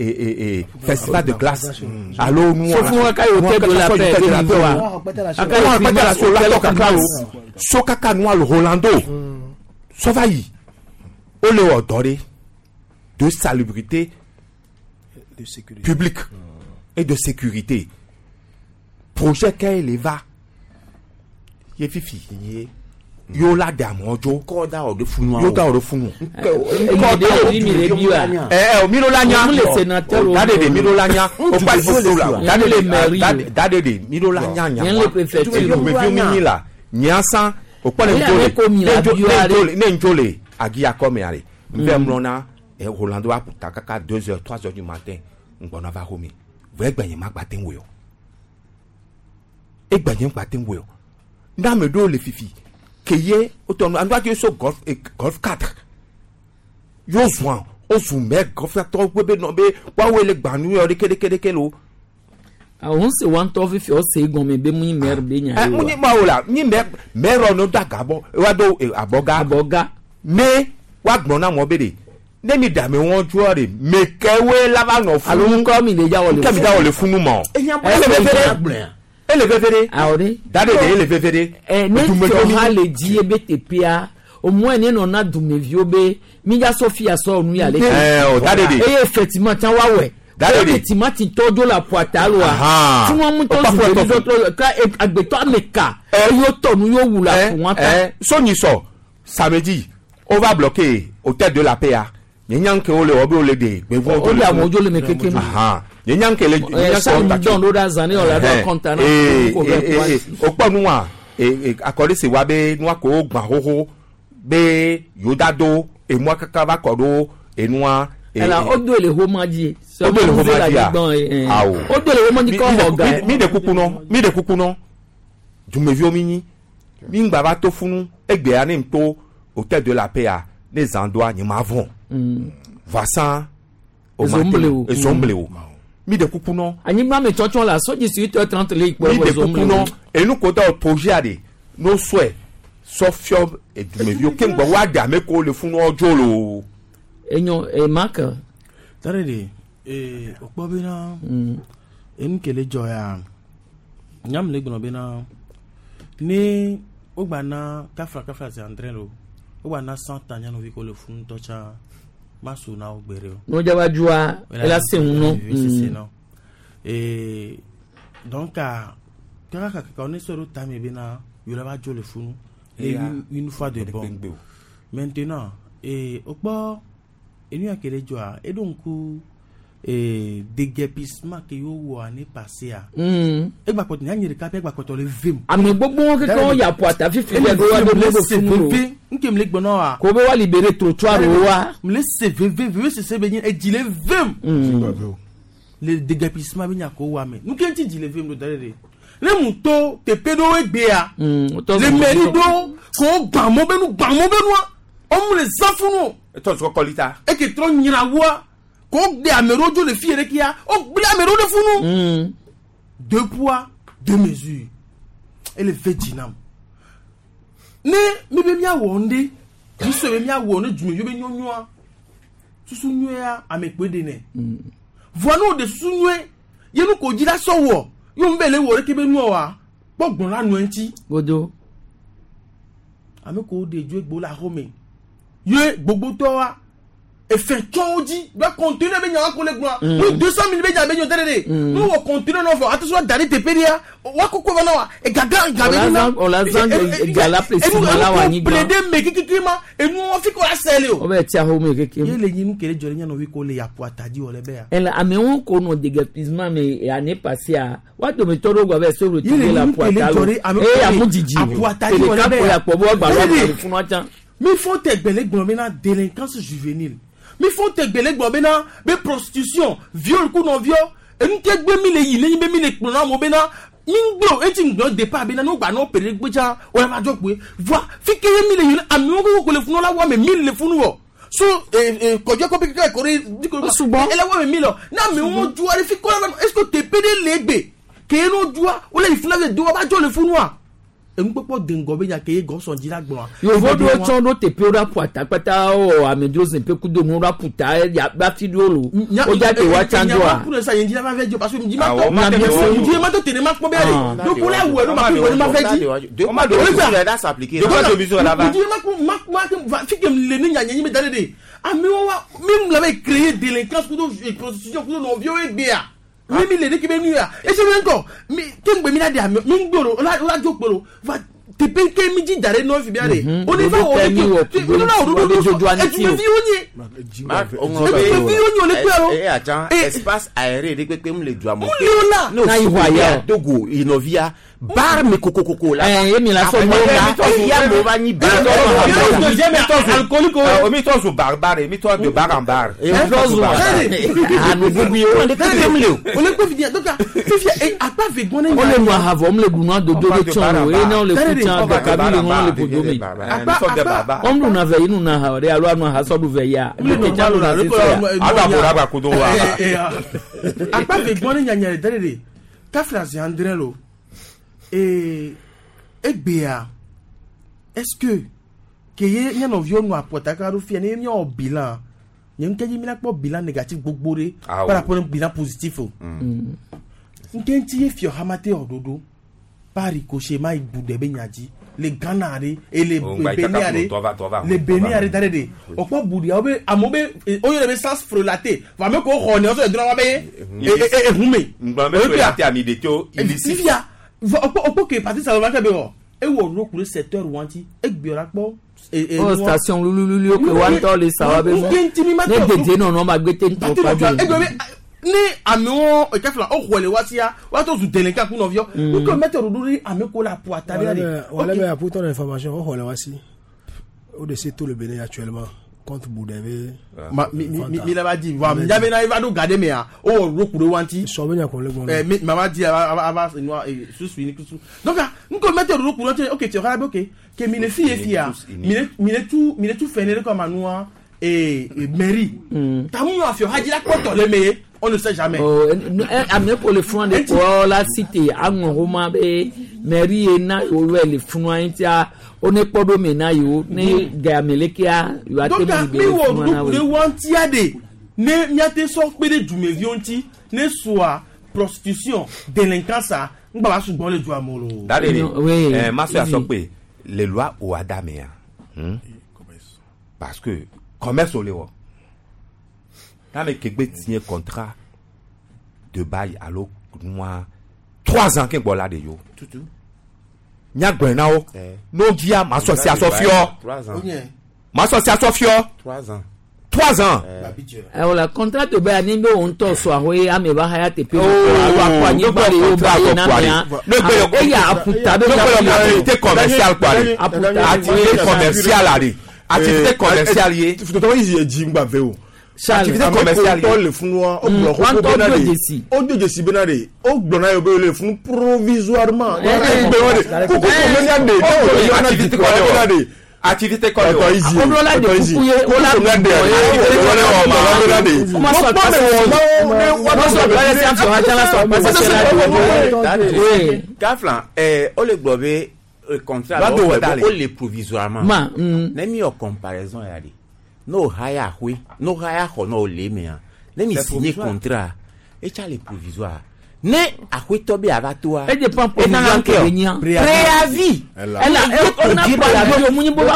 festival de glace alo nuwɔ sofu ka yi hotel de la paix de la paix wa aka yi la so la tɔ kaka lo so kaka nua lo Rolando. Sɔva yi o le wɔ dɔ de de salubrité de sécurité publique et de sécurité projet kɛ le va ye fifi ye yóò la de amewo dzo kɔ da o de funu yóò da o de funu. ɛ ɛ mi lo la nya da de de mi lo la nya o pa so la da de de da de de mi lo la nya nya wa dumeviwo mi nyi la nyasan o kpɔ ne ndzo le ne ndzo le agiya kɔme ale n fɛ mlɔna Rolando aputa kaka 2h 3h du matin n gbɔna va xɔme vɔ egbɛnye ma gba te ŋu yɔ egbɛnye gba te ŋu yɔ ne ame ɖewo le fifi keye wotɔ nu anu ati so golf golf 4 yóò zɔn o zùn mɛ golf tɔ wo be nɔ be woawoe le gbanu yɔ ɖeke ɖeke ɖeke lo. Àwọn se wa ŋutɔ fifi ɔse gɔme be mu nyi mɛri be nya ye wa. Mu nyi ma o la nyi mɛ mɛrɔ no do agabɔ wa do abɔga. Abɔga. Ne wa gblɔ na mɔ be de ne mi dame wɔn dzɔ de mekɛwoe la va nɔ funu. Alo ŋkɔ mi de dza wɔ le funu. Ŋkɔ mi da wɔ le funu ma o. Ele veve de. Ele veve de. Awɔ de. Da de de ele veve de. Ɛ ne tɔ ha le dzi ye be teƒea au moins ne nɔna dumeviwo be mi dza sɔ fia sɔ nu ya le. Ɛ o da de de. Eye effectivement tsã wa wɔe. Da de de. Timati tɔ dzo le aƒuata loa. Tí wọn mú tɔ zu ɖevi tɔ ka agbetɔ ame ka. Eye tɔ nu yóò wu le aƒu wọn ta. Sɔnyi sɔ samedi on va bloquer hôtel de la paix a. Nye nya nke wo le wɔ be wo le de gbevu. O le amewo dzo le me keke nu. Nye nya nke le. Ɛ sani dɔn ɖo ɖe azã ne wòle ɖo akɔnta na. O kpɔ nua akɔɖi si wa be nua ko gbã xoxo be yewo da do emua kaka va kɔ ɖo enua. Ɛla o do le homa dzi. O do le homa dzi a awo. O do le homa dzi kɔ xɔ ga. Mi de kuku nɔ mi de kuku nɔ dumeviwo mi nyi mi ŋgba va to funu egbea ne to hôtel de la paix a ne zan doa nye ma vɔn. Vasan ezomble o mi de kuku nɔ. Anyigba mi tsɔtsɔ la sɔdzi si 8h30 le ikpɔ mi de kuku nɔ enu ko da projet a de n'o sɔɛ sɔfiɔ edumeviwo ke ŋgbɔ wa de ame ko le funu ɔdzo lo. Enyo emaka. Tare de ee o kpɔ bena enu ke le dzɔ ya nyam le gblɔ bena ne wogba na kafla kafla zi andre lo Wogba na 100 ans nyanɔvi ko le funu ŋutɔ tsã ma so na wo gbe ɖe o. N'o dzaba dzua ela se ŋu nɔ. Sese nɔ. Et donc a kaka kaka on est sur le tame bena yola va dzo le funu. Et Eya. une fois de bon. Maintenant et okpɔ enu ya ke le dzɔa eɖo ŋku et déguerpissement ke yo wɔ année passée a. Egba kpɔtɔ nya nye ɖeka ƒe egba kpɔtɔ le vem. Ame gbogbo keke wo ya ƒo ata fifi le ɖo wa ɖo ɖo funu o. Nke mi le gblɔ na wa. Ko be wa libéré trottoir o wa. Mi le se veve veve sese be nye edzi le vem. Le déguerpissement be nya ko wa me. Nu ke ŋuti dzi le vem ɖo da ɖe ɖe. Ne mu to teƒe ɖewo egbea. Le mairie ɖewo ko gbã mɔ be nu gbã mɔ be nua. Womu le zã funu o. Etɔ sɔ kɔlita. Eke trɔ nyra woa. Ko de ame ɖewo dzo le fi yɛ ɖe kia. Wo gblẽ ame ɖewo ɖe funu. Deux poids, deux mesures. Ele ve dzi nam. Ne mi be miawɔ nu ɖe, nusɔ be miawɔ ne dumeviwo be nyɔnyɔa, susu nyuia ame kpoe ɖe nɛ. Vɔa ne wo ɖe susu nyuie, ye nu ko dzi la sɔ wɔ, ye wo be le wɔ ɖeke be nua wa, kpɔ gbɔn la nɔ eŋuti. Godo. Ame ko wo ɖe dzo egbo le axome. Ye gbogbotɔwa, efe tsɔwo dzi, be conteneur be nyawa ko le gblɔa, nu 200 000 be nya be nyɔ te ɖe ɖe. Ne wɔ conteneur nɔ vɔ, ate sɔ da ɖe teƒe ɖea, woakɔkɔ va na wa, egaga ga be nuna. O la zã ga la précisément la wa anyigba. Enu ple ɖe me kikiki ma, enu wɔn fi ko la sɛ le o. O bɛ tia xome keke. Ye le nyi nu ke ɖe dzɔ ɖe nyanɔvi ko le yaƒo atadi wɔ le be ya. Ele amewo ko nɔ déguerpissement me année passée a wa dometɔ ɖewo gba be se Ye le retrouver la nyi nu ke le ƒo dzɔ ɖe ame ata lo eye ko le amu dzidzi aƒo atadi wɔ le ɖeka be ko ya. ya kpɔ be woagba Ye lɔ le- agbale funua tsã. Mi fɔ tɛ gbɛlɛ gblɔ bena délinquance juvénile. Mi fɔ tɛ gbɛlɛ gblɔ bena be prostitution, viol ku nɔviɔ. Enu ke gbe mi le yi ne nyi be mi le kplɔ na amewo bena mi ŋgblɔ eti ŋgblɔ départ bena ne wogba nɔ pere gbe tsã o la va dzɔ kpoe. Voa fi ke ye mi le yi ne amewo koko ko le funu la wɔ ame mille le funu wɔ. So kɔdze kɔpi keke kɔ ɖe diko ele wɔ ame mille ne amewo dzua ɖe fi kɔ la va est ce que teƒe ɖe le egbe ke ye no dzua wole yi funu la do wa va dzɔ le funua. Enukpɔkpɔ de ŋgɔ be nya ke ye gɔsɔn dzi la gblɔa. Yovo ɖewo tsɔ ɖo teƒewo ɖo aƒu ata kpata wɔ amedzro zi ƒe kudo nuwo ɖo aƒu ta ya be afi ɖewo lo. O dza te wa tsã doa. Kunu sa yen dzi la va fɛ dzi o parce que dzi ma Awɔ, tɔ ma tɛ wɔ. dzi ma tɔ tene ma kpɔ be ale donc wole awɔ ɖo ma kpɔ ma fɛ dzi. Deux poids, deux mesures, là, s'appliquer. Deux poids, deux mesures, là, va. Dzi ma kpɔ ma ma va fi ke le ne nya nye mi da ɖe de amewo wa mi la be créer délinquance kudo prostitution kudo nɔviwo egbea mi mi le ɖe ke be nu ya ese mi ŋkɔ mi ke ŋgbe mi la de ame mi ŋgbe o la o la dzo kpe o va teƒe ke mi dzi da ɖe nɔvi bia de o ne va wɔ Dodo tɛ mi wɔ ɖe ke o ne va wɔ kudo ɖoɖo dzodzo aniti o. edumeviwo nye edumeviwo nye o le kpe alo. Eh, attends, espace aéré ɖe kpekpe mu le dua me. le o la. Ne o Na yi si hɔ aya o. Togo inɔvia bar me kokokoko la. Eh, ye mi la sɔ Akɔ mɔ la, eya mo va nyi bar. Alcoolique Mi tɔ zu barbare, mi tɔ de bar en bar. Eh, mi tɔ zu Anuguguiwo. O le kpekpe mu le o. O le kpe fifia donc fifia akpa ve gbɔn ne O le nu aha vɔ, mu le ɖu nua dodo ɖe tsã o. Eye ne wo le ku tsã dɔkavi le ŋu le ƒodo me. Wɔm ɖuna vɛ yi nuna aha ɖe alo anu aha sɔ ɖu vɛ ya. Ɖeke tsã ɖuna sese ya. Alo abora gba kudo wa. Akpa ve gbɔn ne nyanya le da ɖe de kafla zi andre lo ee egbea est ce que ke ye nyanɔviwo nu apɔtaka ɖo fia ne miawɔ bilan nye ŋkɛ dzi mi la kpɔ bilan négatif gbogbo ɖe Awɔ. par rapport ne bilan positif o ŋkɛ ŋuti ye fiɔ hamate wɔ ɖoɖo par ricochet ma yi bu ɖe be nya dzi le Ghana ɖe ele Oh, ŋgba yi Benin kaka ɖe ƒo, tɔ va, tɔ va, le tɔ Benin va. ɖe da ɖe de o kpɔ buɖia wo be amewo be wo yɔrɔ be sans frelaté vɔ ame ko xɔ ne wosɔ le dɔrɔn wa be ehume. Ŋgblɔ be frelaté ami ɖe tso illicite. Fifia vɔ o kpɔ o kpɔ ke parti saloma kɛ be wɔ ewɔ nu ku ɖe secteur wanti egbe la kpɔ. O station lulululu ke wa ŋutɔ le sa wa be mɔ. Ne dede nɔnɔ ma gbete ŋutɔ Parti kpa nɔvia do. egbe be ne amewo ekefla o xɔ le wa sia wa to zu délinquant ku nɔviɔ n ko mɛtɛ ɖoɖo ɖe ame ko la ƒo ata ɖe de. Voilà, mais pour ton information, on va aussi. Au-dessus tout le Bénin actuellement contre Boudévé. Ma mi mi mi mi la va di wa mi ya bena eva ɖo ga ɖe mea o wɔ ɖo ku ɖe wanti. Sɔbɛ nya kɔn le gbɔn. Ɛ mi mama di ava ava ava nua susu ni kusu donc n ko mɛtɛ ɖoɖo ku ɖe wanti ok tiɛ xɔ la be ok ke mi le fi ye fia mi le mi le tu mi le tu fɛn ne ɖe kɔ ma nua ee mairie. Tamu yɔ afiɔ hadzi la kpɔtɔ le me ye on ne sait jamais. Oh, ame ko le funu de kɔ la cité aŋɔ xoma be mairie ye na yewo wɛ le funua ŋutia wo ne kpɔ ɖo me na yewo ne game lekea yewoa te donc mu mi be wɔ funua na ɖoɖo ku ɖe wo. wantia de ne miate sɔ kpe ɖe dumeviwo ŋuti ne soa prostitution délinquance a ŋgba va sugbɔ le dua me o. Dade Oui. eh, ma so asɔ pe le loi Ohada mea. Parce que commerce wo le wɔ. Ne ame ke gbe signé contrat de bail alo nua 3 ans ke gbɔ la de yo. Tutu. Nyagblɔe na wo. Ne wo dzia ma sɔ si asɔ fiɔ. 3 ans. Ma sɔ si asɔ fiɔ. 3 ans. 3 ans. Wala contrat to bɛ ni bɛ o ŋutɔ sɔ ahoe ame ba haya teƒe. Oh, alo akɔ anyigba le yewo ba ye na mea. Ne gbe yɔ- Eya aƒuta bɛ Ne gbe yɔ activité commerciale kpa de. Aputa. Activité commerciale ale. Activité commerciale ye. Tɔtɔ yi dzi ŋgba ve o. Activité commerciale Ame ye. ko le funua o gblɔ Wantɔ xoxo bena do de dzesi. o do dzesi bena de o gblɔ na ye be le funu provisoirement. Eh, Egbe wa de koko ko menya de ne o le yɔ na Activité di kɔ bena de. Activité kɔle Tɔtɔ yi zi Akɔdɔ la de tɔtɔ yi zi kuku ye, o la koko menya de gbɔ ye. o le wɔ ma bena de. O ma sɔ Mo kpɔ de wɔ ma wo ne wa Ma sɔ akpase si afɔ ha la sɔ akpase si la de. Oui. Kaflan, o le gblɔ be contrat Va la do wo wɔ xɔe da be le. o le provisoirement. Ma. Ne mi wɔ comparaison ya de, n'o haya ahoe, n'o haya xɔ n'o le mea, ne mi C'est signé provisoire. contrat, etsa le provisoire. Ne ahoetɔ be ava toa. E dépend provisoire ke be nyia. Préavis. Ela o na préavis o mu nyi bo ba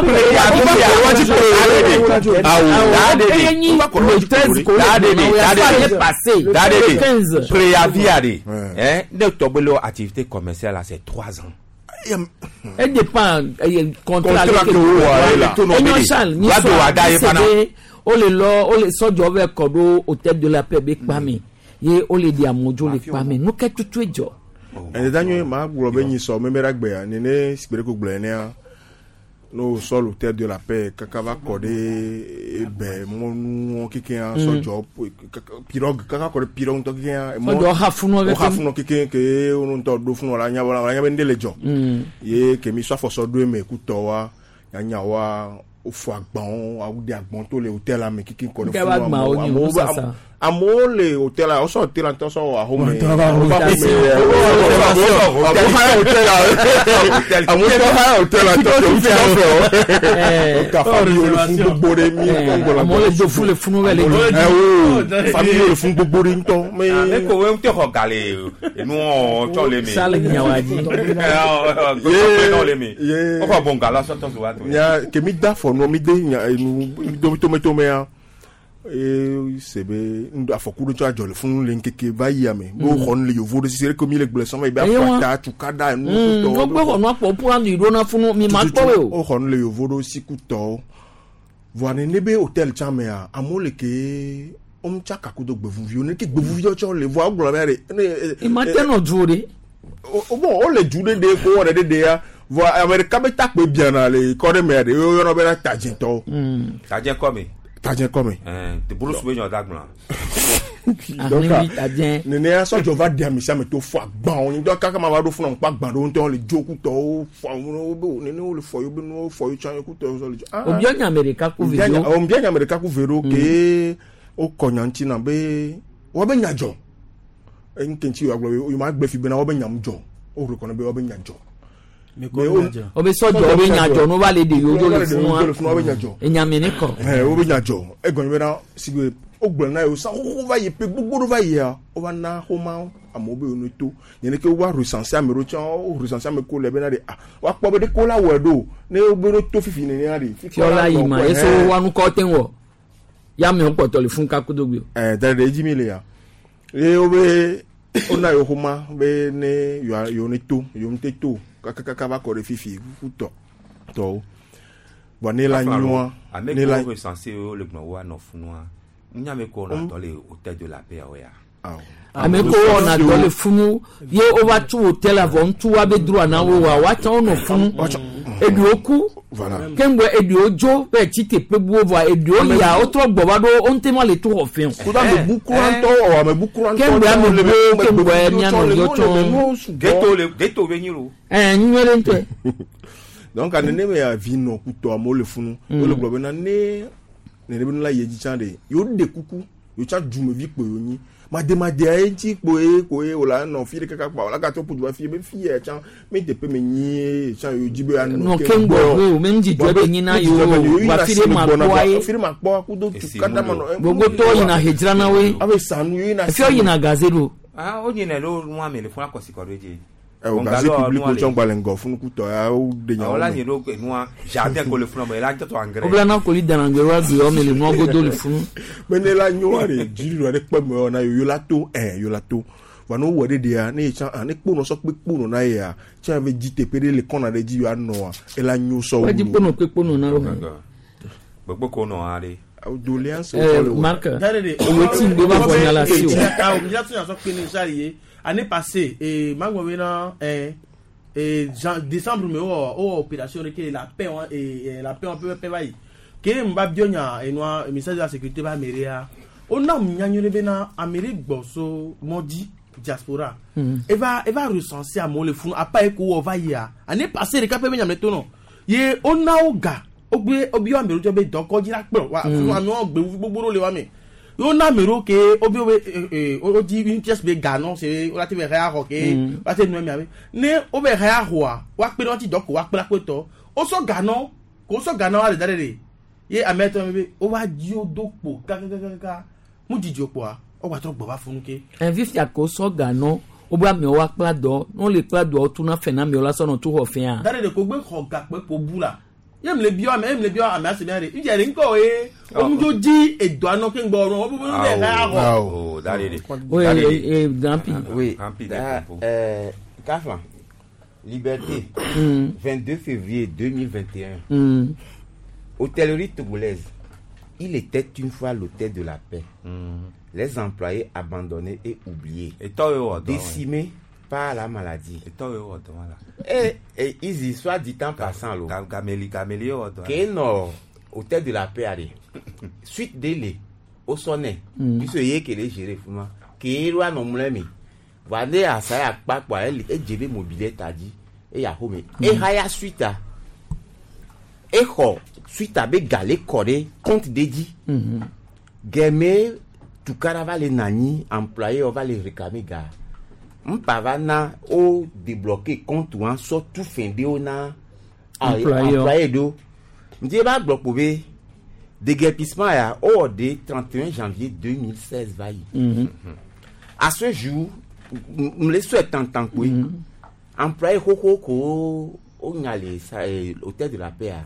Eye nyi le 13 ko le ma o ya sɔ ale passé. Le 15. Préavis ale. Hein, ne tɔgbe le activité commerciale là c'est 3 ans. E dépend contrat Contrat le ke wo wɔ ale la. Enyo Charles mi Va do sɔ wa da ye fana. o le lɔ o le sɔdzɔ bɛ kɔ ɖo hôtel de la paix be kpa me ye o le di amodzo le kpa me nu ke tutu dzɔ. Ɛdeda nyuie maa gblɔ be nyisɔ meme ɖe agbea nene sigbe ɖe ko gblɔ enea no sɔ l'hôtel de la paix kaka va kɔ ɖe ebe mɔnuwo kekea sɔdzɔ pirogue kaka kɔ ɖe pirogue ŋutɔ kekea. Sɔdzɔ xa funua o xa keke. funɔ keke ke wo ŋutɔ ɖo funɔ la nya la nya be ŋɖe le dzɔ. Ye kemi sɔ afɔsɔ ɖo eme kutɔ wa nyanya wa wofɔ agbawo awu de agbɔn to le hôtel la me keke kɔ ɖe Nke ba funua agbawo nyi amewo nu be sasa. amewo le hôtel la wosɔ hôtel la ŋutɔ sɔ wɔ ahome. Ŋutɔ va Amewo haya hôtel la amewo tɔ haya hôtel la tɔ ke wofi afɛ o. Ka famille wo le fun gbogbo ɖe mi kɔngɔ la. Amewo le do fu le funu bɛ le Ɛ wo famille wo le fun gbogbo ɖe ŋutɔ. Ne ko we ŋutɔ xɔ ga le enuɔ tsɔ le me. Sale nyawadzi. Ye le me. Ye. O xɔ bɔnga la sɔtɔ so wa to. Nya ke mi da fɔ nɔ mi de nya enu mi tometomea eye se be ŋdɔ afɔku ɖe tsɔ adzɔ le funu le ŋkeke va yia me be woxɔ nu le yovo ɖe sisi ɖe ke mi le gblẽ sɔmɔ yi be Eye wa. afɔta tukada enu kutɔwo Wogbe xɔ nua kpɔ ƒu anyi ɖo na funu mi ma kpɔ o. woxɔ nu le yovo ɖo si kutɔwo voa nene be hôtel tsã mea amewo le ke womtsa kakudo gbevuviwo ne ke gbevuviwo tsɔ le voa wogblɔ be ɖe ne Ima te nɔ du o de. o bon wole du ɖe ɖe ko wɔ ɖe ɖe ya voa ame ɖeka be takpe biana le kɔ ɖe mea ɖe woyɔna bena tadzẽtɔwo Tadzẽ kɔ me. tadzẽ kɔ me. Ɛn bulusu be nyɔ da gblɔ. Donc, Ahlivi tadzẽ. nenea sɔdzɔ va di ame sia ame to fɔ agbawo ŋutɔ kaka ma va ɖo funu ŋkpa agba ɖewo ŋutɔ le dzo kutɔwo fɔ awo be nene wo le fɔ yewo be nuwo fɔ yewo tsã yewo kutɔwo sɔ le dzo. Ah, Obiɔ nya ame ɖeka ku Mbia vedo. nya- mbia nya ame ɖeka ku ve ɖo ke wokɔ nya ŋuti na be woabe nya dzɔ eŋke ŋuti wòagblɔ be wo ma gbe fi bena woabe nya ŋu dzɔ wo rekɔnɔ be woabe nya dzɔ. O be sɔdzɔ be nya dzɔ n'o va le de yewo dzo le Dzo le funua woabe nya funua. dzɔ. Enya mi ne kɔ. Ɛ wobe nya dzɔ egɔme bena sigbe wogblɔ na yewo sa xoxo va yi pe gbogbo ɖo va yia wova na xɔma amewo be yewo to nene ke wova recenser ame ɖewo tsã wo recenser ame ko le bena de ah woakpɔ be ɖeke wola wɔe ɖo ne wobe ɖo to fifi nenea de. Fiɔla yi ma eso wanu kɔ te wɔ. Ya mi kpɔtɔ le funu kakudo gbe. Ɛ da ɖe edzi mi le ya ye wobe wona yewo xɔma be ne yewoa yewo ne to yewo ŋute to kakakaka va kɔ ɖe fifi kuku tɔ tɔwo bɔn ne la nyoa Ame ne la ko recensé wo le gblɔ wo anɔ funua. Nya me ko na dɔ le hôtel de la paix o ya. Ame ko wɔna dɔ le funu ye wova tu hôtel avɔ ŋutu wa be droit na wo wa woatsã wonɔ funu. Eɖewo ku. Voilà. Keŋgbɛ eɖewo dzo be tsi teƒe buwo vɔa eɖewo yia wotrɔ gbɔ va ɖo wo ŋute ma le to xɔ fɛn o. Kudo amebu kura ŋutɔ wɔ amebu kura ŋutɔ Keŋgbɛ amebuwo keŋgbɛ mianɔ yɔ tsɔ. Ghetto le ghetto be nyi lo. Ɛɛ nyuie ɖe ŋutɔe. Donc nene me ya vi nɔ kutɔ amewo le funu wole gblɔ bena ne nene be nu la yi edzi tsã ɖe yewo ɖe kuku yewo tsã dumevi kpo yewo nyi mademadea ye ŋuti kpoe koe wòle nɔ fi ɖe kaka kpa wòle agatrɔ ƒu du va fi be fi ya tsã mi teƒe me nyie tsã yewo dzi be yeanɔ Nɔ keŋgbɔ wo me ŋudzidzɔ be nyina yewo va fi ɖe ma kpɔa ye. fi ɖe ma kpɔ kudo tukada ma nɔ Gbogbotɔwo yina he dzrana woe. abe sanu yewo yina Efiɔ yina gaze ɖo. Ah o nyina ɖo nua me le funu akɔsi kɔ ɖo edzi. O gazé public o tsɔn gbalẽ ŋgɔ funukutɔ ya wo de nya wo la nyi ɖo nua jardin ko le funu me la tɔtɔ engrais. Wobla na koli danagbe wa gbe wɔme le nua godo le funu. Me ne la nyoa de dziɖuɖu aɖe kpe me na yo la to ɛ yo la to wa ne wowɔ ɖe ɖea ne yetsã a ne kponɔ sɔ kpe kponɔ na yea tsã ve dzi teƒe ɖe le kɔna ɖe dzi yɔ anɔa ela nyo sɔ wu. Wọ́n di kponɔ kpe kponɔ na wo. Gbogbo ko nɔ ha de. Doléance. Marc, owó tí ń gbé bá fọ ní ala sí o. Awo mi yàtọ̀ yàtọ̀ pé ní sáré yé année passée et magbo bɛ na décembre mi wɔ o wɔ opération de kele la paix wa la paix wa pɛpɛ pɛ ba yi kele mi ba biɔ nya enua ministère de la sécurité ba mairie ya o na mi nya nyuie bɛ na ameri gbɔ so mɔdzi diaspora eva eva recenser amewo le funu apa yi ko wɔ va yia année passée ɖeka pɛ bɛ nyame to nɔ ye o na wo ga ogbe obi wa mero tsɔ be dɔkɔdzi la kplɔ wa funu amewo gbe gbogbo ɖo le wa me yóò na mero ke obi wo be ee o di une pièce be ga nɔ se o la te be hɛ axɔ ke o la te nu emia be ne o be hɛ axɔa wa kpe ɖe wɔti dɔ ko wa kpe la kpe tɔ o sɔ ga nɔ ko sɔ ga nɔ wa le da ɖe de ye ame tɔ be o wa dzi o do kpo kakakakaka mu dzidzi o kpoa o gba trɔ gbɔ va funu ke. Ɛ fifia ko sɔ ga nɔ wo be amewo wa kpla dɔ ne wole kpla dɔ tuna fɛ na amewo la sɔ nɔ tu xɔ fɛa. Da ɖe de ko gbe xɔ gakpe ko bu la ye mi le biɔ ame ye mi le biɔ ame ase mia de idze de ŋkɔ ye omudzo dzi edo anɔ ke ŋgbɔ ɔnɔ wo be be hɛ axɔ. O da de de. Oui, et Gampi. Oui. Kafan, Liberté, 22 février 2021. Hôtellerie togolaise. Il était une fois l'hôtel de la paix. Les employés abandonnés et oubliés. Décimés par la maladie. Et ils soit dit en passant là. Gameli gameli ye wɔ dɔn. Ke nɔ hôtel de la paix ale. Suite délai au sonnet. Puisque ye kele gérer fuma. Ke ro anɔ mlɛ mi. Wa ne asa ya kpa kpa ele edze be mobilier ta dzi eya xɔ me. Ehaya suite a. Exɔ suite a be gale kɔ ɖe compte de dzi. Gɛmɛ tukara va le nanyi employé va le réclamer ga. Mpa va na o débloquer compte wa sɔ tu fɛn de wo na Employé employé do. Ndie ba gblɔ kpo be déguerpissement ya o wɔ de 31 janvier 2016 va yi. À ce jour, m le sɔe tantan koe. Employé xoxo ko o nya le sa hôtel de la paix a.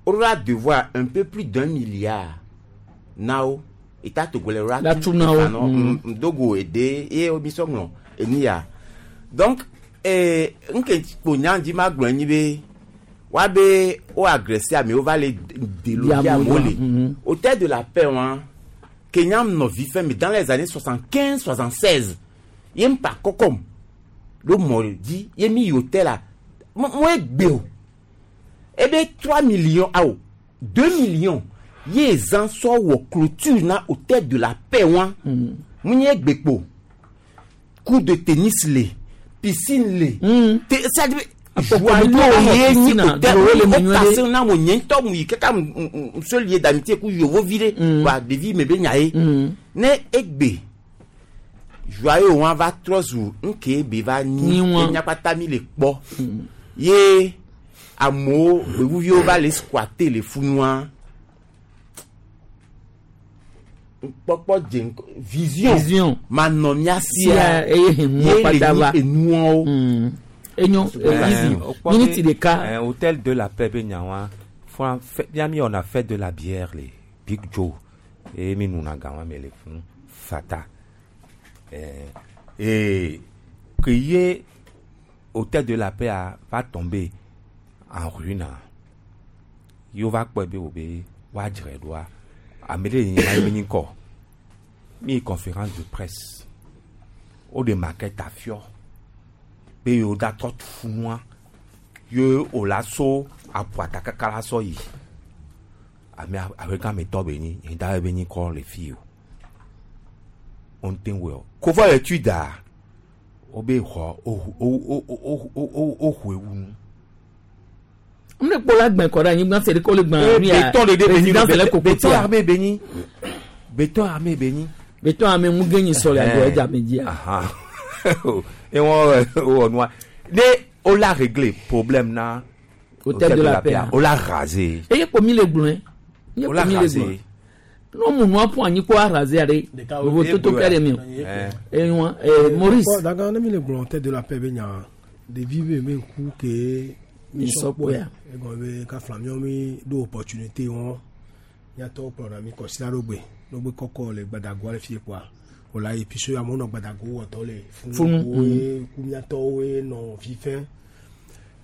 O la devoir un peu plus d'un milliard na wo. État togolais la La tu na wo. Ndogo ede ye omi sɔŋlɔ eni ya. Donc nke kpo nya dzi ma gblɔ nyi be wa be o agressé amewo va le déloger amewo le. Hôtel de la paix wa Kenya nɔ vi fɛn mi dans les années 75 76 ye mpa kɔkɔm ɖo mɔ dzi ye mi yi hôtel la mo egbe o ebe 3 millions awo 2 millions ye zã sɔ wɔ clôture na hôtel de la paix wa mu nye egbe kpo cours de tennis le piscine le te c'est-à-dire joyau ye nyi hôtel o kase na mo nye ŋutɔ mu yi kaka seul lieu d'amitié ku yovo vi ɖe wa ɖevi me be nya ye ne egbe joyau wa va trɔ zu ŋke be va nyi enyakpata mi le kpɔ ye amewo gbevuviwo va le squatter le funua kpɔkpɔ dze ŋkɔ vision manɔ mía sia eye hɛn ye le nyi enuawo. Enyo easy minute ɖeka. Hôtel de la paix be nya wa fún fia mi wɔna fête de la bière le Big Joe eye mi nuna ga wa me le funu fata et ke ye hôtel de la paix a va tomber en ruine ye wo va kpɔe be wo be woadzrae ɖoa ame ɖe yi ma ye be nyi kɔ mi yi conférence de presse wo ɖe maquette afiɔ be yewo da trɔ tu funua ye wo la so aƒuata kaka la sɔ yi ame abe gã me tɔ be nyi yi da be nyi kɔ le fi o wo ŋute wɔe o kofɔ le tui da wo be xɔ wo wo wo wo wo hoe wu nu. n de kpɔ la gbɛn kɔ ɖe anyigba se de ko le gbɛn béton de de be nyi présidence le koko béton tia armé be nyi béton armé be nyi. béton armé mu gé nyi sɔ le agbo ɛdza me dzia. Et on wɔ nua ne o la réglé problème na. Hôtel de la paix. O la rasé. Eye kpo mi le gblɔe. Eye O la kpo mi le rasé. gblɔe. N'o mu nua ƒu anyi ko arasé aɖe. Vovo toto kɛ ɖe mi o. Enyua Maurice. Daga ne mi le gblɔ hôtel de la paix be nya Ɖevi be me ŋku ke mi Mi sɔ sɔ kpɔe. kpɔea. Egɔme be kafla miawo mi ɖo opportunité wɔn. Miatɔwo kplɔna mi kɔsila ɖo gbe. Ɖo gbe kɔkɔ le gbadagoa le fie kpoa. Wòle ayi puisque amewo nɔ gbadago wɔtɔ le Funu, woe ku miatɔwoe nɔ fifɛ.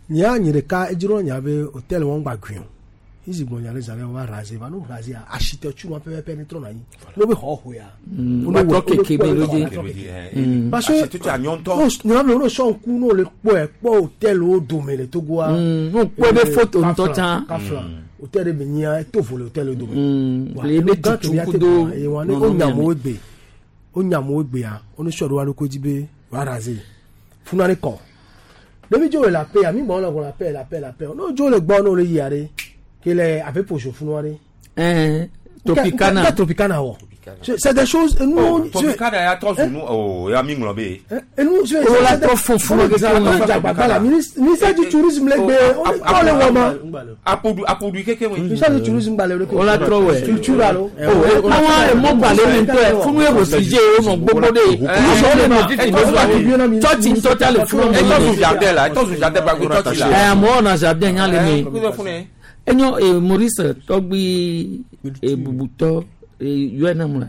Nya nye ɖeka edzro nya be hôtel wɔn gba gui o. Isi gbɔn nya le zã ɖe wa raser va no raser architecture wɔn pɛpɛpɛ ne trɔ na anyi. No be xɔ xoya. Wa trɔ keke be lo dzi. Parce que Architecture anyɔntɔ. no nyɔnu no sɔ ŋku no le kpɔe kpɔ hôtel wo dome le Togoa. No kpɔe be photo ŋutɔ tsã. Kafla hôtel ɖe be nyia eto vo le hôtel wo dome. Wa, Le ebe enu gã tutu ke mía te kudo gblɔ, eye wa ne nɔnɔmea wo nyamewo me. gbe wo nyamewo gbea wo ne sɔ ɖo wa ɖokui dzi be wa raser funa ne kɔ. Ɖevi dzo le la paix ami gbɔn le wɔ la paix la paix la paix no dzo le gbɔ no le yia ɖe ke le abe poso funua ɖe. Tropicana. Nka Tropicana wɔ. C'est des choses nous. Oh, Tropicana ya tɔ zunu o ya mi ŋlɔ be. Enu O la trɔ fún fún o la dzagbagba la ministère du tourisme le gbe o le wɔ ma. Apodu apodu keke we. Ministère du tourisme gbalẽ o O la trɔ wɛ. Culture alo. O àwọn emɔgbalẽ mi ŋutɔ yɛ funu yɛ wòsi dze o nɔ gbogbo de ye le nɔ fifi do tsɔtsi ŋutɔ tsa le funu Etɔ zu jardin la etɔ zu jardin gba tɔtsi la. Ɛ amewo nɔ jardin nya le me. me. Enyo e Maurice tɔgbi e bubutɔ e yɔɛ nam la